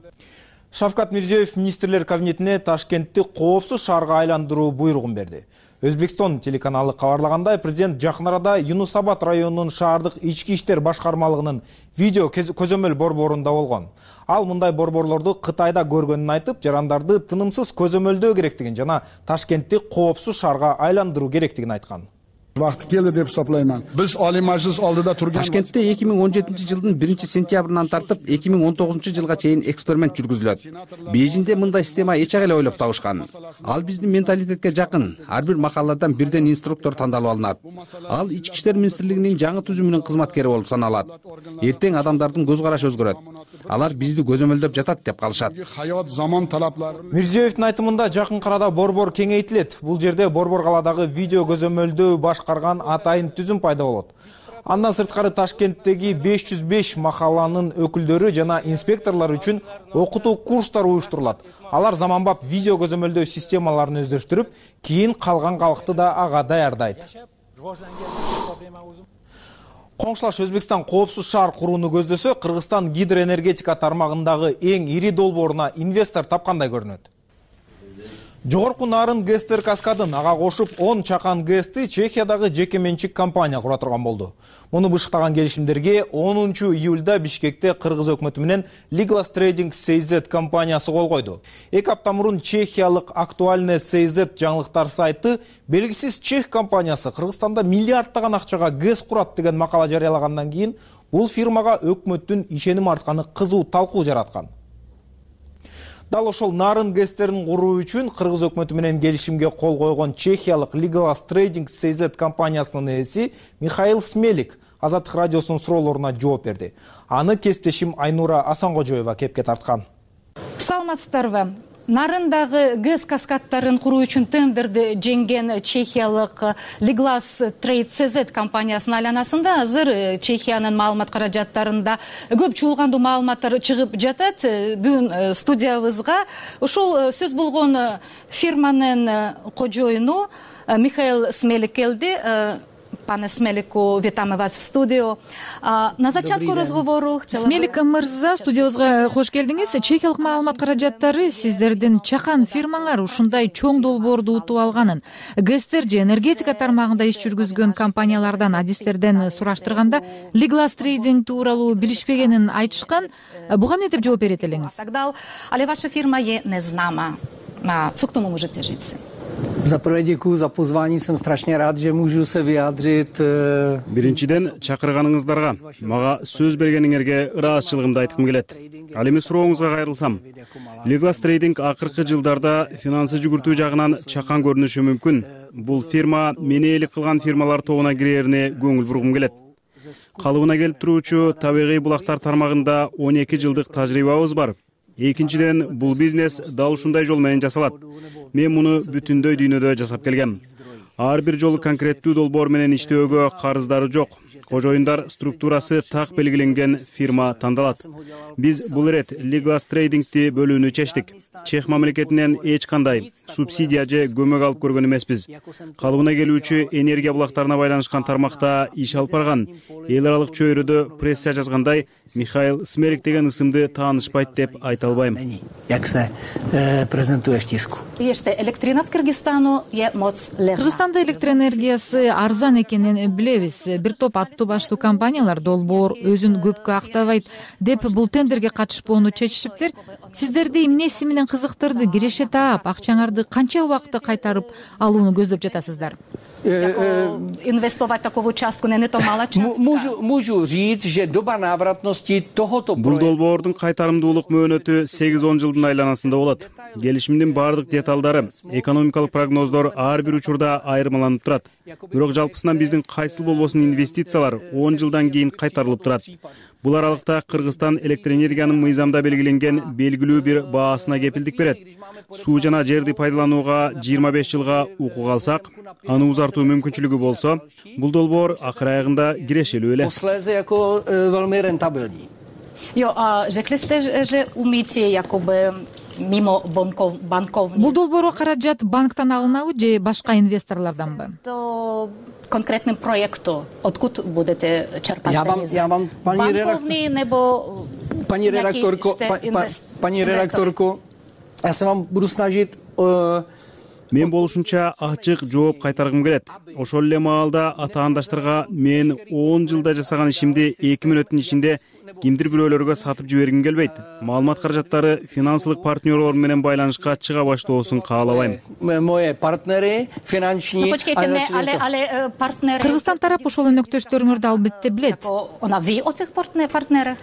S16: Шавкат Мирзиёев министрлер кабинетине Ташкентти коопсуз шаарга айландыруу буйругун берди. Өзбекстон телеканалы кабарлагандай, президент жакын арада Юнус Абад районунун шаардык ички иштер башкармалыгынын видео көзөмөл борборунда болгон. Ал мындай борборлорду Кытайда көргөнүн айтып, жарандарды тынымсыз көзөмөлдөө керектигин жана Ташкентти коопсуз шаарга айландыруу керектигин айткан.
S18: Vaqti keldi deb hisoblayman. Biz Oliy Majlis oldida turgan
S21: Toshkentda 2017-жылдын 1-сентябрынан тартып 2019-жылга чейин эксперимент жүргүзүлөт. Бейжиңде мындай система эч эле ойлоп табышкан. Ал биздин менталитетке жакын. Ар бир махалладан бирден инструктор тандалып алынат. Ал ички иштер министрлигинин жаңы түзүмүнүн кызматкери болуп саналат. Эртең адамдардын көз карашы өзгөрөт. Алар бизди көзөмөлдөп жатат деп калышат.
S18: Hayot zamon talablari.
S16: Мирзиёевдин айтымында жакын арада борбор кеңейтилет. Бул жерде борбор каладагы видео көзөмөлдөө башкарган атайын түзүм пайда болот. Андан сырткары Ташкенттеги 505 махалланын өкүлдөрү жана инспекторлор үчүн окутуу курстары уюштурулат. Алар заманбап видео көзөмөлдөө системаларын өздөштүрүп, кийин калган калкты да ага даярдайт. Коңшулаш Өзбекстан коопсуз шаар курууну көздөсө, Кыргызстан гидроэнергетика тармагындагы эң ири долбооруна инвестор тапкандай көрүнөт. Жогорку Нарын ГЭСтер каскадын ага кошуп 10 чакан ГЭСти Чехиядагы жеке менчик компания кура турган болду. Муну бышыктаган келишимдерге 10 июлда Бишкекте Кыргыз өкмөтү менен Liglas Trading CZ компаниясы кол койду. 2 апта мурун чехиялык Актуальное CZ жаңылыктар сайты белгисиз чех компаниясы Кыргызстанда миллиардтаган акчага ГЭС курат деген макала жарыялагандан кийин бул фирмага өкмөттүн ишеним артканы кызуу талкуу жараткан. Дал ошол Нарын ГЭСтерин куруу үчүн Кыргыз өкмөтү менен келишимге кол койгон чехиялык Liglas Trading CZ компаниясынын ээси Михаил Смелик Азаттык радиосунун суроолоруна жооп берди. Аны кесиптешим Айнура Асангожоева кепке тарткан.
S22: Саламатсыздарбы? Нарындагы ГЭС каскадтарын куруу үчүн тендерди жеңген чехиялык Liglas Trade CZ компаниясынын айланасында азыр Чехиянын маалымат каражаттарында көп чуулгандуу маалыматтар чыгып жатат. Бүгүн студиябызга ушул сөз болгон фирманын кожоюну Михаил Смелик келди. Пане Смелику, витаем вас в студию. На зачатку разговору
S11: Смелик мырза, студиябызга кош келдиңиз. Чехиялык маалымат каражаттары сиздердин чакан фирмаңар ушундай чоң долбоорду утуп алганын, ГЭСтер же энергетика тармагында иш жүргүзгөн компаниялардан, адистерден сураштырганда Liglas Trading тууралуу билишпегенин айтышкан. Буга эмне деп жооп берет элеңиз?
S22: Тогда, але ваша фирма не знама. Co k tomu můžete říct?
S23: За prvé děkuji za pozvání, jsem strašně rád, že můžu se vyjádřit.
S24: Биринчиден чакырганыңыздарга, мага сөз бергениңерге ыраазычылыгымды айткым келет. Ал эми сурооңузга кайрылсам, Liglas Trading акыркы жылдарда финансы жүгүртүү жагынан чакан көрүнүшү мүмкүн. Бул фирма мени элик кылган фирмалар тобуна кирерине көңүл бургум келет. Калыбына келип туруучу табигый булактар тармагында 12 жылдык тажрыйбабыз бар. Экинчиден, бул бизнес дал ушундай жол менен жасалат. Мен муну бүтүндөй дүйнөдө жасап келгем. Ар бир жолу конкреттүү долбоор менен иштөөгө карыздары жок. Кожоюндар структурасы так белгиленген фирма тандалат. Биз бул ирет Liglas Trading'ти бөлүүнү чечтик. Чех мамлекетинен эч кандай субсидия же көмөк алып көргөн эмеспиз. Калыбына келүүчү энергия булактарына байланышкан тармакта иш алып барган. Эл аралык чөйрөдө пресса жазгандай, Михаил Смелик деген ысымды таанышпайт деп айта албайм.
S11: Кыргызстанда электроэнергиясы арзан экенин билебиз. Бир топ аттуу баштуу компаниялар долбоор өзүн көпкө актабайт деп бул тендерге катышпоону чечишиптир. Сиздерди эмнеси менен кызыктырды? Киреше таап, акчаңарды канча убакытта кайтарып алууну көздөп жатасыздар?
S22: инвестовать такого участку не то мала частка.
S23: Можу říct, že doba návratnosti tohoto
S24: Бул долбоордун кайтарымдуулук мөөнөтү 8-10 жылдын айланасында болот. Келишимдин бардык деталдары, экономикалык прогноздор ар бир учурда айырмаланып турат. Бирок жалпысынан биздин кайсыл болбосун инвестициялар 10 жылдан кийин кайтарылып турат. Бул аралыкта Кыргызстан электроэнергиянын мыйзамда белгиленген белгилүү бир баасына кепилдик берет. Суу жана жерди пайдаланууга 25 жылга укук алсак, аны узартуу мүмкүнчүлүгү болсо, бул долбоор акыр аягында кирешелүү эле.
S23: Posléze jako velmi rentabilní.
S22: Jo, a řekli jste, že umíte jakoby mimo bankovní.
S11: Бул долбоорго каражат банктан алынабы же башка инвесторлорданбы?
S22: To конкретным проекту откуда будете черпать?
S23: Я вам,
S22: банковный nebo
S23: Paní redaktorko, я se вам буду snažit.
S24: Мен болушунча ачык жооп кайтаргым келет. Ошол эле маалда атаандаштарга мен 10 жылда жасаган ишимди 2 мүнөттүн ичинде кимдир бирөөлөргө сатып жибергим келбейт. Маалымат каражаттары финансылык партнерлор менен байланышка чыга баштоосун каалабайм.
S23: Мои партнери, финансовый.
S11: Кыргызстан тарап ошол өнөктөштөрүңөрдү албетте билет.
S22: Она ви от этих партнеров?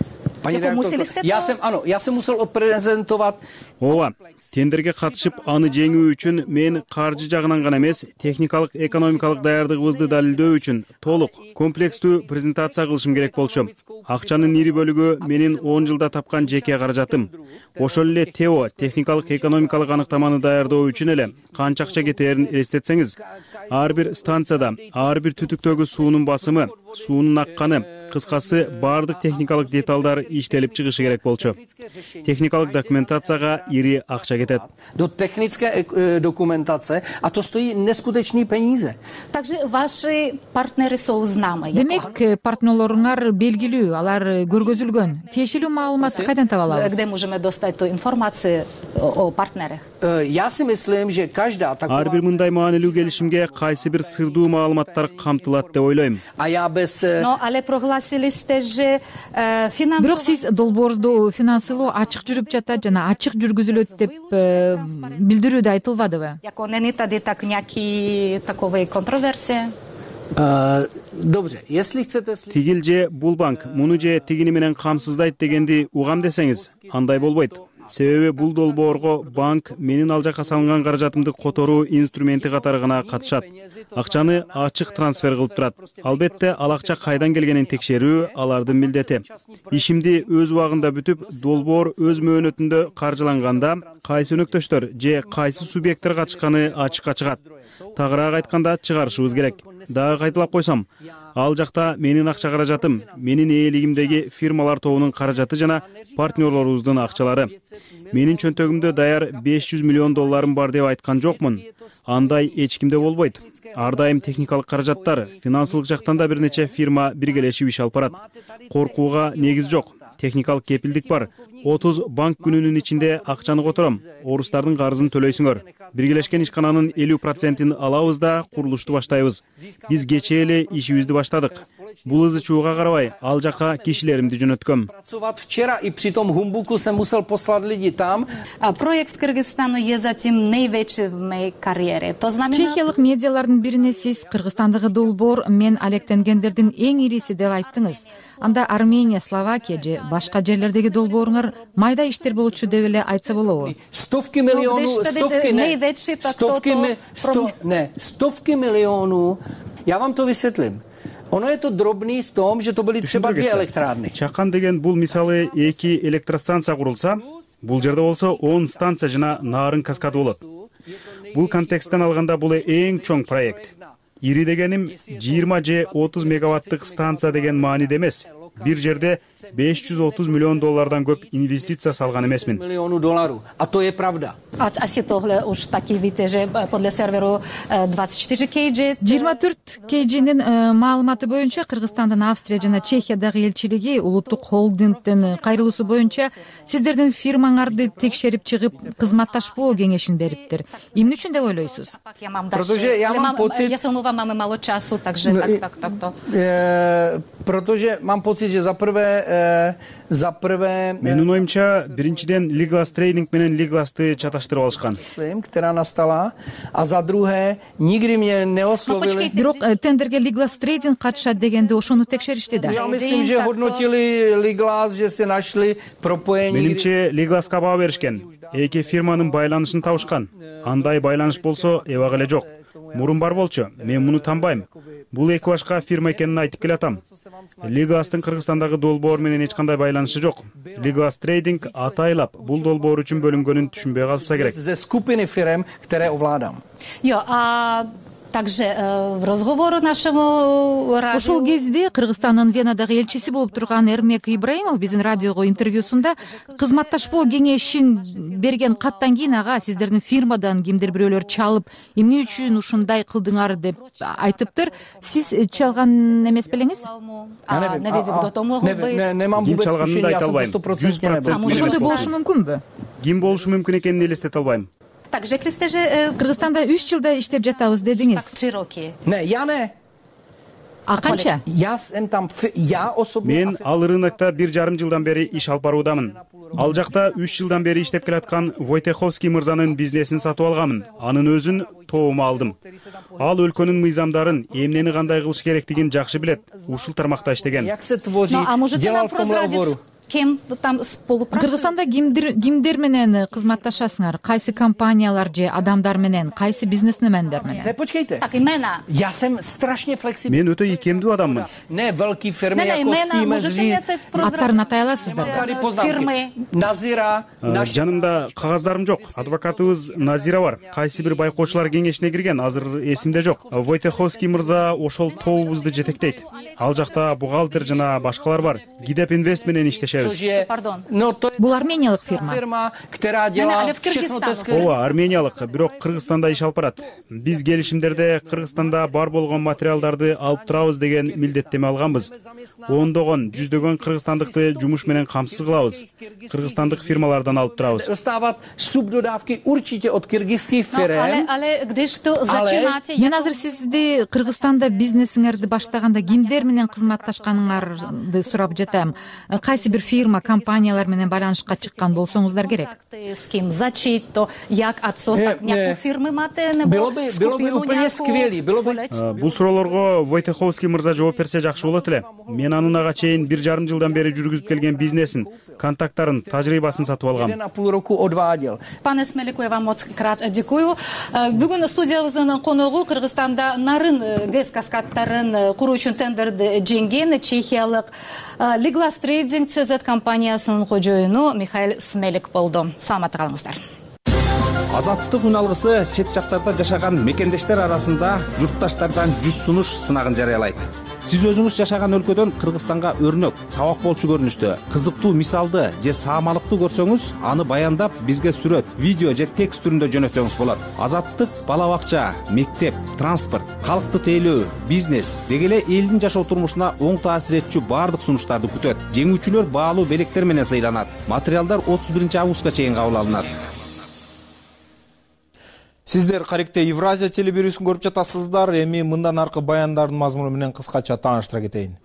S23: Я musel odprezentovat.
S24: Ооба, тендерге катышып аны жеңүү үчүн мен каржы жагынан гана эмес, техникалык, экономикалык даярдыгыбызды далилдөө үчүн толук, комплекстүү презентация кылышым керек болчу. Акчанын ири бөлүгү менин 10 жылда тапкан жеке каражатым. Ошол эле ТЭО, техникалык, экономикалык аныктаманы даярдоо үчүн эле канча акча кетээрин элестетсеңиз, ар бир станцияда, ар бир түтүктөгү суунун басымы, суунун акканы, кыскасы бардык техникалык деталдар иштелип чыгышы керек болчу. Техникалык документацияга ири акча кетет.
S23: До технической документации, а то стоит нескутечные peníze.
S22: Также ваши партнеры знамы.
S11: Демек, партнерлоруңар белгилүү, алар көргөзүлгөн. Тиешелүү маалыматты кайдан таба алабыз?
S22: Где можем достать ту информацию о партнерах?
S23: Я си мислим, же каждая такова.
S24: Ар бир мындай маанилүү келишимге кайсы бир сырдуу маалыматтар камтылат деп ойлойм.
S23: А я без
S22: Но але прогласили сте же финансовый.
S11: Бирок сиз долбоорду финансылоо ачык жүрүп жатат жана ачык жүргүзүлөт деп билдирүүдө айтылбадыбы?
S22: Яко не тади так някакви такови контроверсии.
S23: Добре, если chcete
S24: Тигил же бул банк муну же тигини менен камсыздайт дегенди угам десеңиз, андай болбойт. Себеби бул долбоорго банк менин ал жакка салынган каражатымды которуу инструменти катары гана катышат. Акчаны ачык трансфер кылып турат. Албетте ал акча кайдан келгенин текшерүү алардын милдети. Ишимди өз убагында бүтүп, долбоор өз мөөнөтүндө каржыланганда кайсы өнөктөштөр же кайсы субъекттер катышканы ачыкка чыгат. Тагыраак айтканда чыгарышыбыз керек. Дагы кайталап койсом, ал жакта менин акча каражатым, менин ээлигимдеги фирмалар тобунун каражаты жана партнерлорубуздун акчалары. Менин чөнтөгүмдө даяр 500 миллион долларым бар деп айткан жокмун. Андай эч кимде болбойт. Ар дайым техникалык каражаттар, финансылык жактан да бир нече фирма биргелешип иш алып барат. Коркууга негиз жок. Техникалык кепилдик бар. 30 банк күнүнүн ичинде акчаны котором. Орустардын карызын төлөйсүңөр. Биргелешкен ишкананын 50%-ин алабыз да курулушту баштайбыз. Биз кечээ эле ишибизди баштадык. Бул ызы чууга карабай, ал жака кишилеримди жөнөткөм.
S23: Вчера и при том Humbuku се musel послать люди там.
S22: Проект Кыргызстана е затем наивече в моей карьере. То знамена
S11: Чехиялык медиалардын бирине сиз Кыргызстандагы долбоор мен алектенгендердин эң ириси деп айттыңыз. Анда Армения, Словакия же башка жерлердеги долбооруңар майда иштер болчу деп эле айтса болобу?
S23: Стовки миллиону. Я вам то высветлим. Оно это дробный в том, что были třeba 2 elektrárny.
S24: Чакан деген бул мисалы 2 электростанция курулса, бул жерде болсо 10 станция жана нарын каскады болот. Бул контексттен алганда бул эң чоң проект. Ири дегеним 20 же 30 мегаваттык станция деген мааниде эмес. Бир жерде 530 миллион доллардан көп инвестиция салган эмесмин.
S23: Миллиону доллару. А то е правда.
S22: Аси тогле уж таки видите же подле серверу 24 kg.
S11: 24 kg'нин маалыматы боюнча Кыргызстандын Австрия жана Чехиядагы элчилиги улуттук холдингдин кайрылуусу боюнча сиздердин фирмаңарды текшерип чыгып кызматташпоо кеңешин бериптир. Эмне үчүн деп ойлойсуз?
S23: Protože já mám pocit,
S22: я се умывам, мало часу, takže tak.
S23: Protože mám pocit, že za prvé
S24: Менин оюмча, биринчиден Liglas Trading менен Liglas'ты чаташтырып алышкан.
S23: která nastala, a za druhé nikdy mě neoslovili.
S11: Бирок тендерге Liglas Trading катышат дегенде ошону текшеришти да.
S23: Я myslím, že hodnotili Liglas, že se našli propojení.
S24: Менимче Liglas'ка баа беришкен. Эки фирманын байланышын табышкан. Андай байланыш болсо, эбак эле жок. Мурун бар болчу, мен муну танбайм. Бул эки башка фирма экенин айтып келатам. Liglas'тын Кыргызстандагы долбоор менен эч кандай байланышы жок. Liglas Trading атайлап бул долбоор үчүн бөлүнгөнүн түшүнбөй калса керек.
S23: Ze skupiny firm, které ovládám.
S22: Также в разговору нашему радио.
S11: Ошол кезде Кыргызстандын Венадагы элчиси болуп турган Эрмек Ибраимов биздин радиого интервьюсунда кызматташпоо кеңешин берген каттан кийин ага сиздердин фирмадан кимдир бирөөлөр чалып, эмне үчүн ушундай кылдыңар деп айтыптыр. Сиз чалган эмес белеңиз?
S24: Ким чалганын да айта албайм. 100%
S11: ошондой болушу мүмкүнбү?
S24: Ким болушу мүмкүн экенин элестете албайм.
S11: Кыргызстанда 3 жылда иштеп жатабыз дедиңиз.
S23: Ne, я не.
S11: А канча?
S23: Я особенно.
S24: Мен ал рынокто 1,5 жылдан бери иш алып баруудамын. Ал жакта 3 жылдан бери иштеп келаткан Войтеховский мырзанын бизнесин сатып алганмын. Анын өзүн тобума алдым. Ал өлкөнүн мыйзамдарын, эмнени кандай кылыш керектигин жакшы билет. Ушул тармакта иштеген.
S22: Кем там
S11: Кыргызстанда кимдер менен кызматташасыңар? Кайсы компаниялар же адамдар менен, кайсы бизнесмендер менен?
S23: Ne, počkejte. Já jsem strašně flexibilní.
S24: Мен өтө ийкемдүү адаммын.
S23: Ne velký firmy jako Siemens.
S11: Аттарын атай аласыздар?
S23: Фирмы, Назира,
S24: Жанымда кагаздарым жок. Адвокатыбыз Назира бар. Кайсы бир байкоочулар кеңешине кирген, азыр эсимде жок. Войтеховский мырза ошол тобубузду жетектейт. Ал жакта бухгалтер жана башкалар бар. Гидеп Инвест менен иштешет.
S11: Бул армениялык фирма.
S24: Ооба, армениялык, бирок Кыргызстанда иш алып барат. Биз келишимдерде Кыргызстанда бар болгон материалдарды алып турабыз деген милдеттеме алганбыз. Ондогон, жүздөгөн кыргызстандыкты жумуш менен камсыз кылабыз. Кыргызстандык фирмалардан алып турабыз.
S11: Мен азыр сизди Кыргызстанда бизнесиңерди баштаганда кимдер менен кызматташканыңарды сурап жатам. Кайсы бир фирма, компаниялар менен байланышка чыккан болсоңуздар керек.
S22: С ким зачит, то як отсоток някои фирмы мате не
S23: было бы úplně skvělý, было бы.
S24: Бул суроолорго Войтеховский мырза жооп берсе жакшы болот эле. Мен анын ага чейин 1,5 жылдан бери жүргүзүп келген бизнесин, контакттарын, тажрыйбасын сатып алгам.
S23: 1,5 roku odváděl.
S22: Пане Смелик, я вам моцкрат дякую. Бүгүн студиябыздын коногу Кыргызстанда нарын ГЭС каскадтарын куруу үчүн тендерди жеңген чехиялык Liglas Trading CZ компаниясынын кожоюну Михаил Смелик болду. Саламатта калыңыздар.
S21: Азаттык үн алгысы чет жактарда жашаган мекендештер арасында журтташтардан 100 сунуш сынагын жарыялайт. Сиз өзүңүз жашаган өлкөдөн Кыргызстанга өрнөк, сабак болчу көрүнүштө, кызыктуу мисалды же саамалыкты көрсөңүз, аны баяндап бизге сүрөт, видео же текст түрүндө жөнөтсөңүз болот. Азаттык бала бакча, мектеп, транспорт, калкты тейлөө, бизнес деги эле элдин жашоо турмушуна оң таасир этчү баардык сунуштарды күтөт. Жеңүүчүлөр баалуу белектер менен сыйланат. Материалдар 31 августка чейин кабыл алынат.
S16: Сиздер каректе Евразия телебирүүсүн көрүп жатасыздар. Эми мындан аркы баяндардын мазмуну менен кыскача тааныштыра кетейин.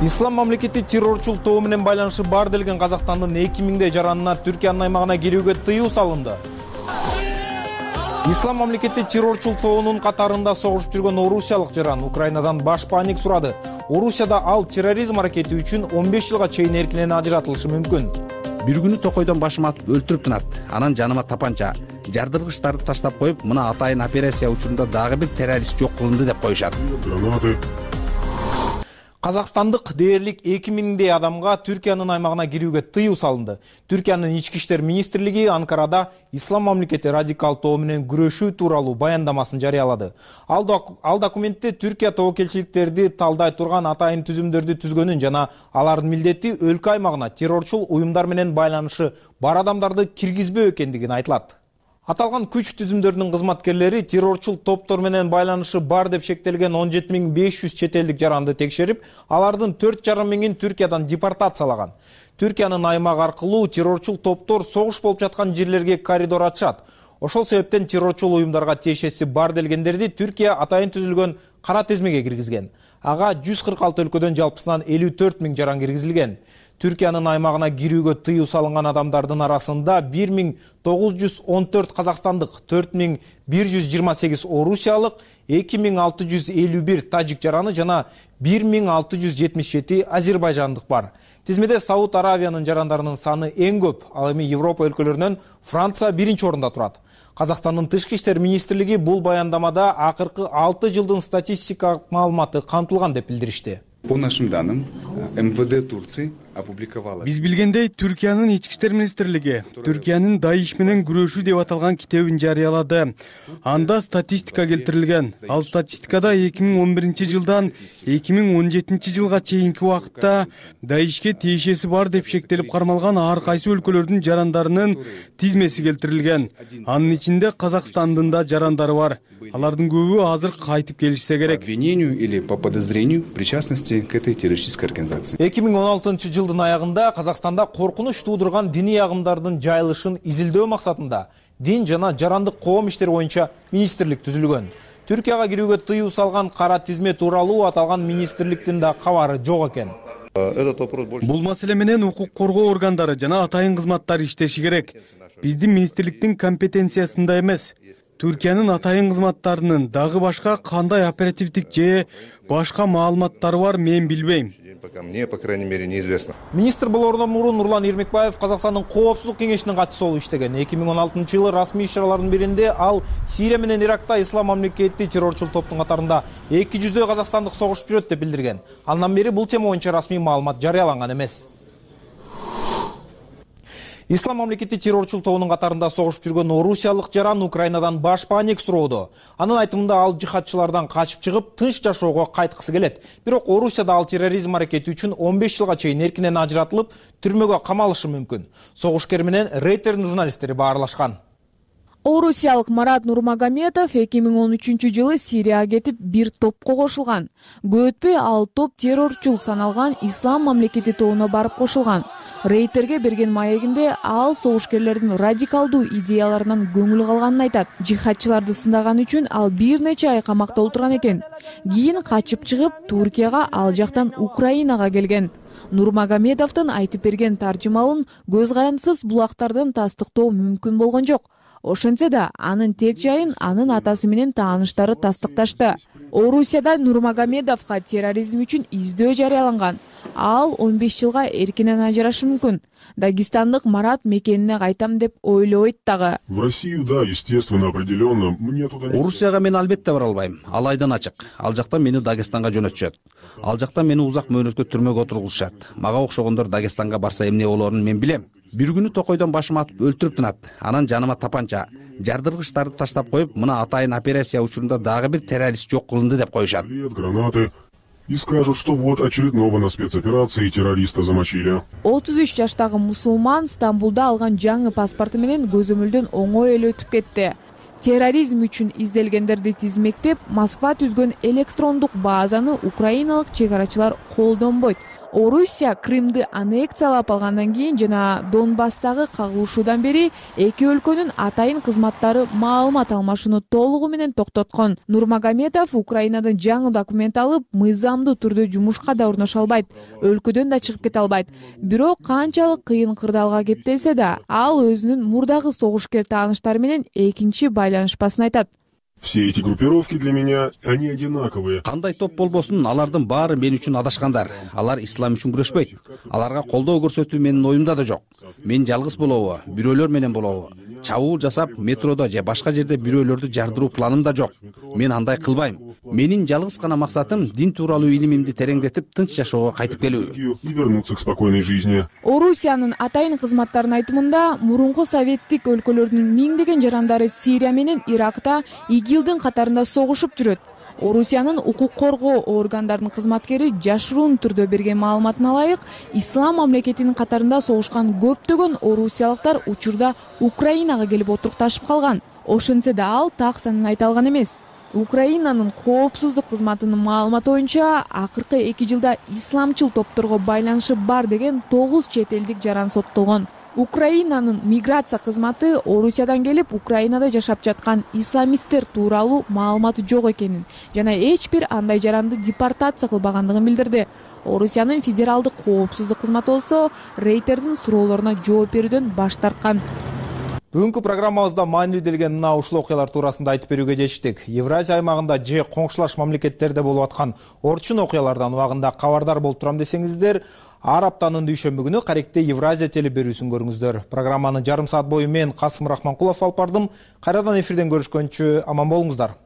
S16: Ислам мамлекети террорчул тобу менен байланышы бар делген Казакстандын 2000 жаранына Түркиянын аймагына кирүүгө тыюу салынды. Ислам мамлекети террорчул тобунун катарында согушуп жүргөн орусиялык жаран Украинадан баш паник сурады. Орусияда ал терроризм аракети үчүн 15 жылга чейин эркинен ажыратылышы мүмкүн.
S21: Бир күнү токойдон башыма атып өлтүрүп тынат. Анан жаныма тапанча, жардыргычтарды таштап коюп, мына атайын операция учурунда дагы бир террорист жок кылынды деп коюшат.
S16: Казакстандык дээрлик 2000 адамга Түркиянын аймагына кирүүгө тыюу салынды. Түркиянын ички иштер министрлиги Анкарада Ислам мамлекети радикал тобу менен күрөшүү тууралуу баяндамасын жарыялады. Ал документте Түркия тобокелчиликтерди талдай турган атайын түзүмдөрдү түзгөнүн жана алардын милдети өлкө аймагына террорчул уюмдар менен байланышы бар адамдарды киргизбөө экендигин айтылат. Аталган күч түзүмдөрүнүн кызматкерлери террорчул топтор менен байланышы бар деп шектелген 17500 чет элдик жаранды текшерип, алардын 4,5 миңин Түркиядан депортациялаган. Түркиянын аймагы аркылуу террорчул топтор согуш болуп жаткан жерлерге коридор ачат. Ошол себептен террорчул уюмдарга тиешеси бар делгендерди Түркия атайын түзүлгөн кара тизмеге киргизген. Ага 146 өлкөдөн жалпысынан 54 000 жаран киргизилген. Түркиянын аймагына кирүүгө тыюу салынган адамдардын арасында 1914 казакстандык, 4128 орусиялык, 2651 тажик жараны жана 1677 азербайжандык бар. Тизмеде Сауд Аравиянын жарандарынын саны эң көп. Ал эми Европа өлкөлөрүнөн Франция 1-чи орунда турат. Казакстандын тышкы иштер министрлиги бул баяндамада акыркы 6 жылдын статистикалык маалыматы камтылган деп билдиришти.
S2: По нашим данным, МВД Турции опубликовала.
S15: Биз билгендей, Түркиянын ички иштер министрлиги Түркиянын даиш менен күрөшүү деп аталган китебин жарыялады. Анда статистика келтирилген. Ал статистикада 2011 жылдан 2017 жылга чейинки убакытта даишке тиешеси бар деп шектелип кармалган ар кайсы өлкөлөрдүн жарандарынын тизмеси келтирилген. Анын ичинде Казакстандын да жарандары бар. Алардын көбү азыр кайтып келишсе керек.
S2: Обвинению или по подозрению в причастности к этой террористической организации.
S16: 2016 жылдын аягында Казакстанда коркунуч туудурган диний агымдардын жайылышын изилдөө максатында дин жана жарандык коом иштери боюнча министрлик түзүлгөн. Түркияга кирүүгө тыюу салган кара тизме тууралуу аталган министрликтин да кабары жок экен.
S15: Бул маселе менен укук коргоо органдары жана атайын кызматтар иштеши керек. Биздин министрликтин компетенциясында эмес. Түркиянын атайын кызматтарынын дагы башка кандай оперативдик же башка маалыматтары бар, мен билбейм.
S2: Мне, по крайней мере, неизвестно.
S16: Министр болоордон мурун Нурлан Эрмекбаев Казакстандын коопсуздук кеңешинин катчысы болуп иштеген. 2016 жылы расмий иш-чаралардын биринде ал Сирия менен Иракта ислам мамлекети террорчул топтун катарында 200 казакстандык согушуп жүрөт деп билдирген. Андан бери бул тема боюнча расмий маалымат жарыяланган эмес. Ислам мамлекети террорчул тобунун катарында согушуп жүргөн орусиялык жаран Украинадан баш паник суроодо. Анын айтымында ал жихадчылардан качып чыгып, тынч жашоого кайткысы келет. Бирок Орусияда ал терроризм аракети үчүн 15 жылга чейин эркинен ажыратылып, түрмөгө камалышы мүмкүн. Согушкер менен Рейтердин журналисттери баарлашкан.
S6: Орусиялык Марат Нурмагомедов 2013 жылы Сирияга кетип бир топко кошулган. Көп өтпөй ал топ террорчул саналган Ислам мамлекети тобуна барып кошулган. Рейтерге берген маегинде ал согушкерлердин радикалдуу идеяларынан көңүл калганын айтат. Жихадчыларды сындаган үчүн ал бир нече ай камакта отурган экен. Кийин качып чыгып, Туркияга, ал жактан Украинага келген. Нурмагомедовдун айтып берген таржымалын көз карандысыз булактардан тастыктоо мүмкүн болгон жок. Ошентсе да анын тек жайын анын атасы менен тааныштары тастыкташты. Орусияда Нурмагомедовго терроризм үчүн издөө жарыяланган. Ал 15 жылга эркинен ажырашы мүмкүн. Дагестандык Марат мекенине кайтам деп ойлойт дагы.
S8: В Россию, да, естественно, определенно. Мне туда.
S21: Орусияга мен албетте бара албайм. Ал айдан ачык. Ал жактан мени Дагестанга жөнөтүшөт. Ал жактан мени узак мөөнөткө түрмөгө отургузушат. Мага окшогондор Дагестанга барса эмне болоорун мен билем. Бир күнү токойдон башыма атып өлтүрүп тынат. Анан жаныма тапанча, жардыргычтарды таштап коюп, мына атайын операция учурунда дагы бир террорист жок кылынды деп коюшат.
S8: Гранаты. И скажут, что вот очередного на спецоперации террориста замочили.
S6: 33 жаштагы мусулман Стамбулда алган жаңы паспорту менен көзөмөлдөн оңой эле өтүп кетти. Терроризм үчүн изделгендерди тизмектеп, Москва түзгөн электрондук базаны украиналык чек арачылар колдонбойт. Орусия Крымды аннексиялап алгандан кийин жана Донбасстагы кагылышуудан бери эки өлкөнүн атайын кызматтары маалымат алмашууну толугу менен токтоткон. Нурмагомедов Украинадан жаңы документ алып, мыйзамдуу түрдө жумушка да орношо албайт, өлкөдөн да чыгып кете албайт. Бирок канчалык кыйын кырдаалга кептелсе да, ал өзүнүн мурдагы согушкер тааныштары менен экинчи байланышпасын айтат.
S8: Все эти группировки для меня, они одинаковые.
S21: Кандай топ болбосун, алардын баары мен үчүн адашкандар. Алар ислам үчүн күрөшпөйт. Аларга колдоо көрсөтүү менин оюмда да жок. Мен жалгыз болобу, бирөөлөр менен болобу, чабуул жасап, метродо же башка жерде бирөөлөрдү жардыруу планым да жок. Мен андай кылбайм. Менин жалгыз гана максатым дин тууралуу илимимди тереңдетип, тынч жашоого кайтып келүү.
S8: И вернуться к спокойной жизни.
S6: Орусиянын атайын кызматтарынын айтымында, мурунку советтик өлкөлөрдүн миңдеген жарандары Сирия менен Иракта ИГИЛдин катарында согушуп жүрөт. Орусиянын укук коргоо органдарынын кызматкери жашыруун түрдө берген маалыматына ылайык, Ислам мамлекетинин катарында согушкан көптөгөн орусиялыктар учурда Украинага келип отурукташып калган. Ошентсе да ал так санын айта алган эмес. Украинанын коопсуздук кызматынын маалыматы боюнча, акыркы 2 жылда исламчыл топторго байланышы бар деген 9 чет элдик жаран соттолгон. Украинанын миграция кызматы Орусиядан келип Украинада жашап жаткан исламисттер тууралуу маалыматы жок экенин жана эч бир андай жаранды депортация кылбагандыгын билдирди. Орусиянын федералдык коопсуздук кызматы болсо рейтердин суроолоруна жооп берүүдөн баш тарткан.
S16: Бүгүнкү программабызда маанилүү делген мына ушул окуялар туурасында айтып берүүгө чечтик. Евразия аймагында же коңшулаш мамлекеттерде болуп аткан орчун окуялардан убагында кабардар болуп турам десеңиздер, ар аптанын дүйшөмбү күнү Каректе Евразия теле берүүсүн көрүңүздөр. Программаны жарым саат бою мен Касым Рахманкулов алып бардым. Кайрадан эфирден көрүшкөнчө аман болуңуздар.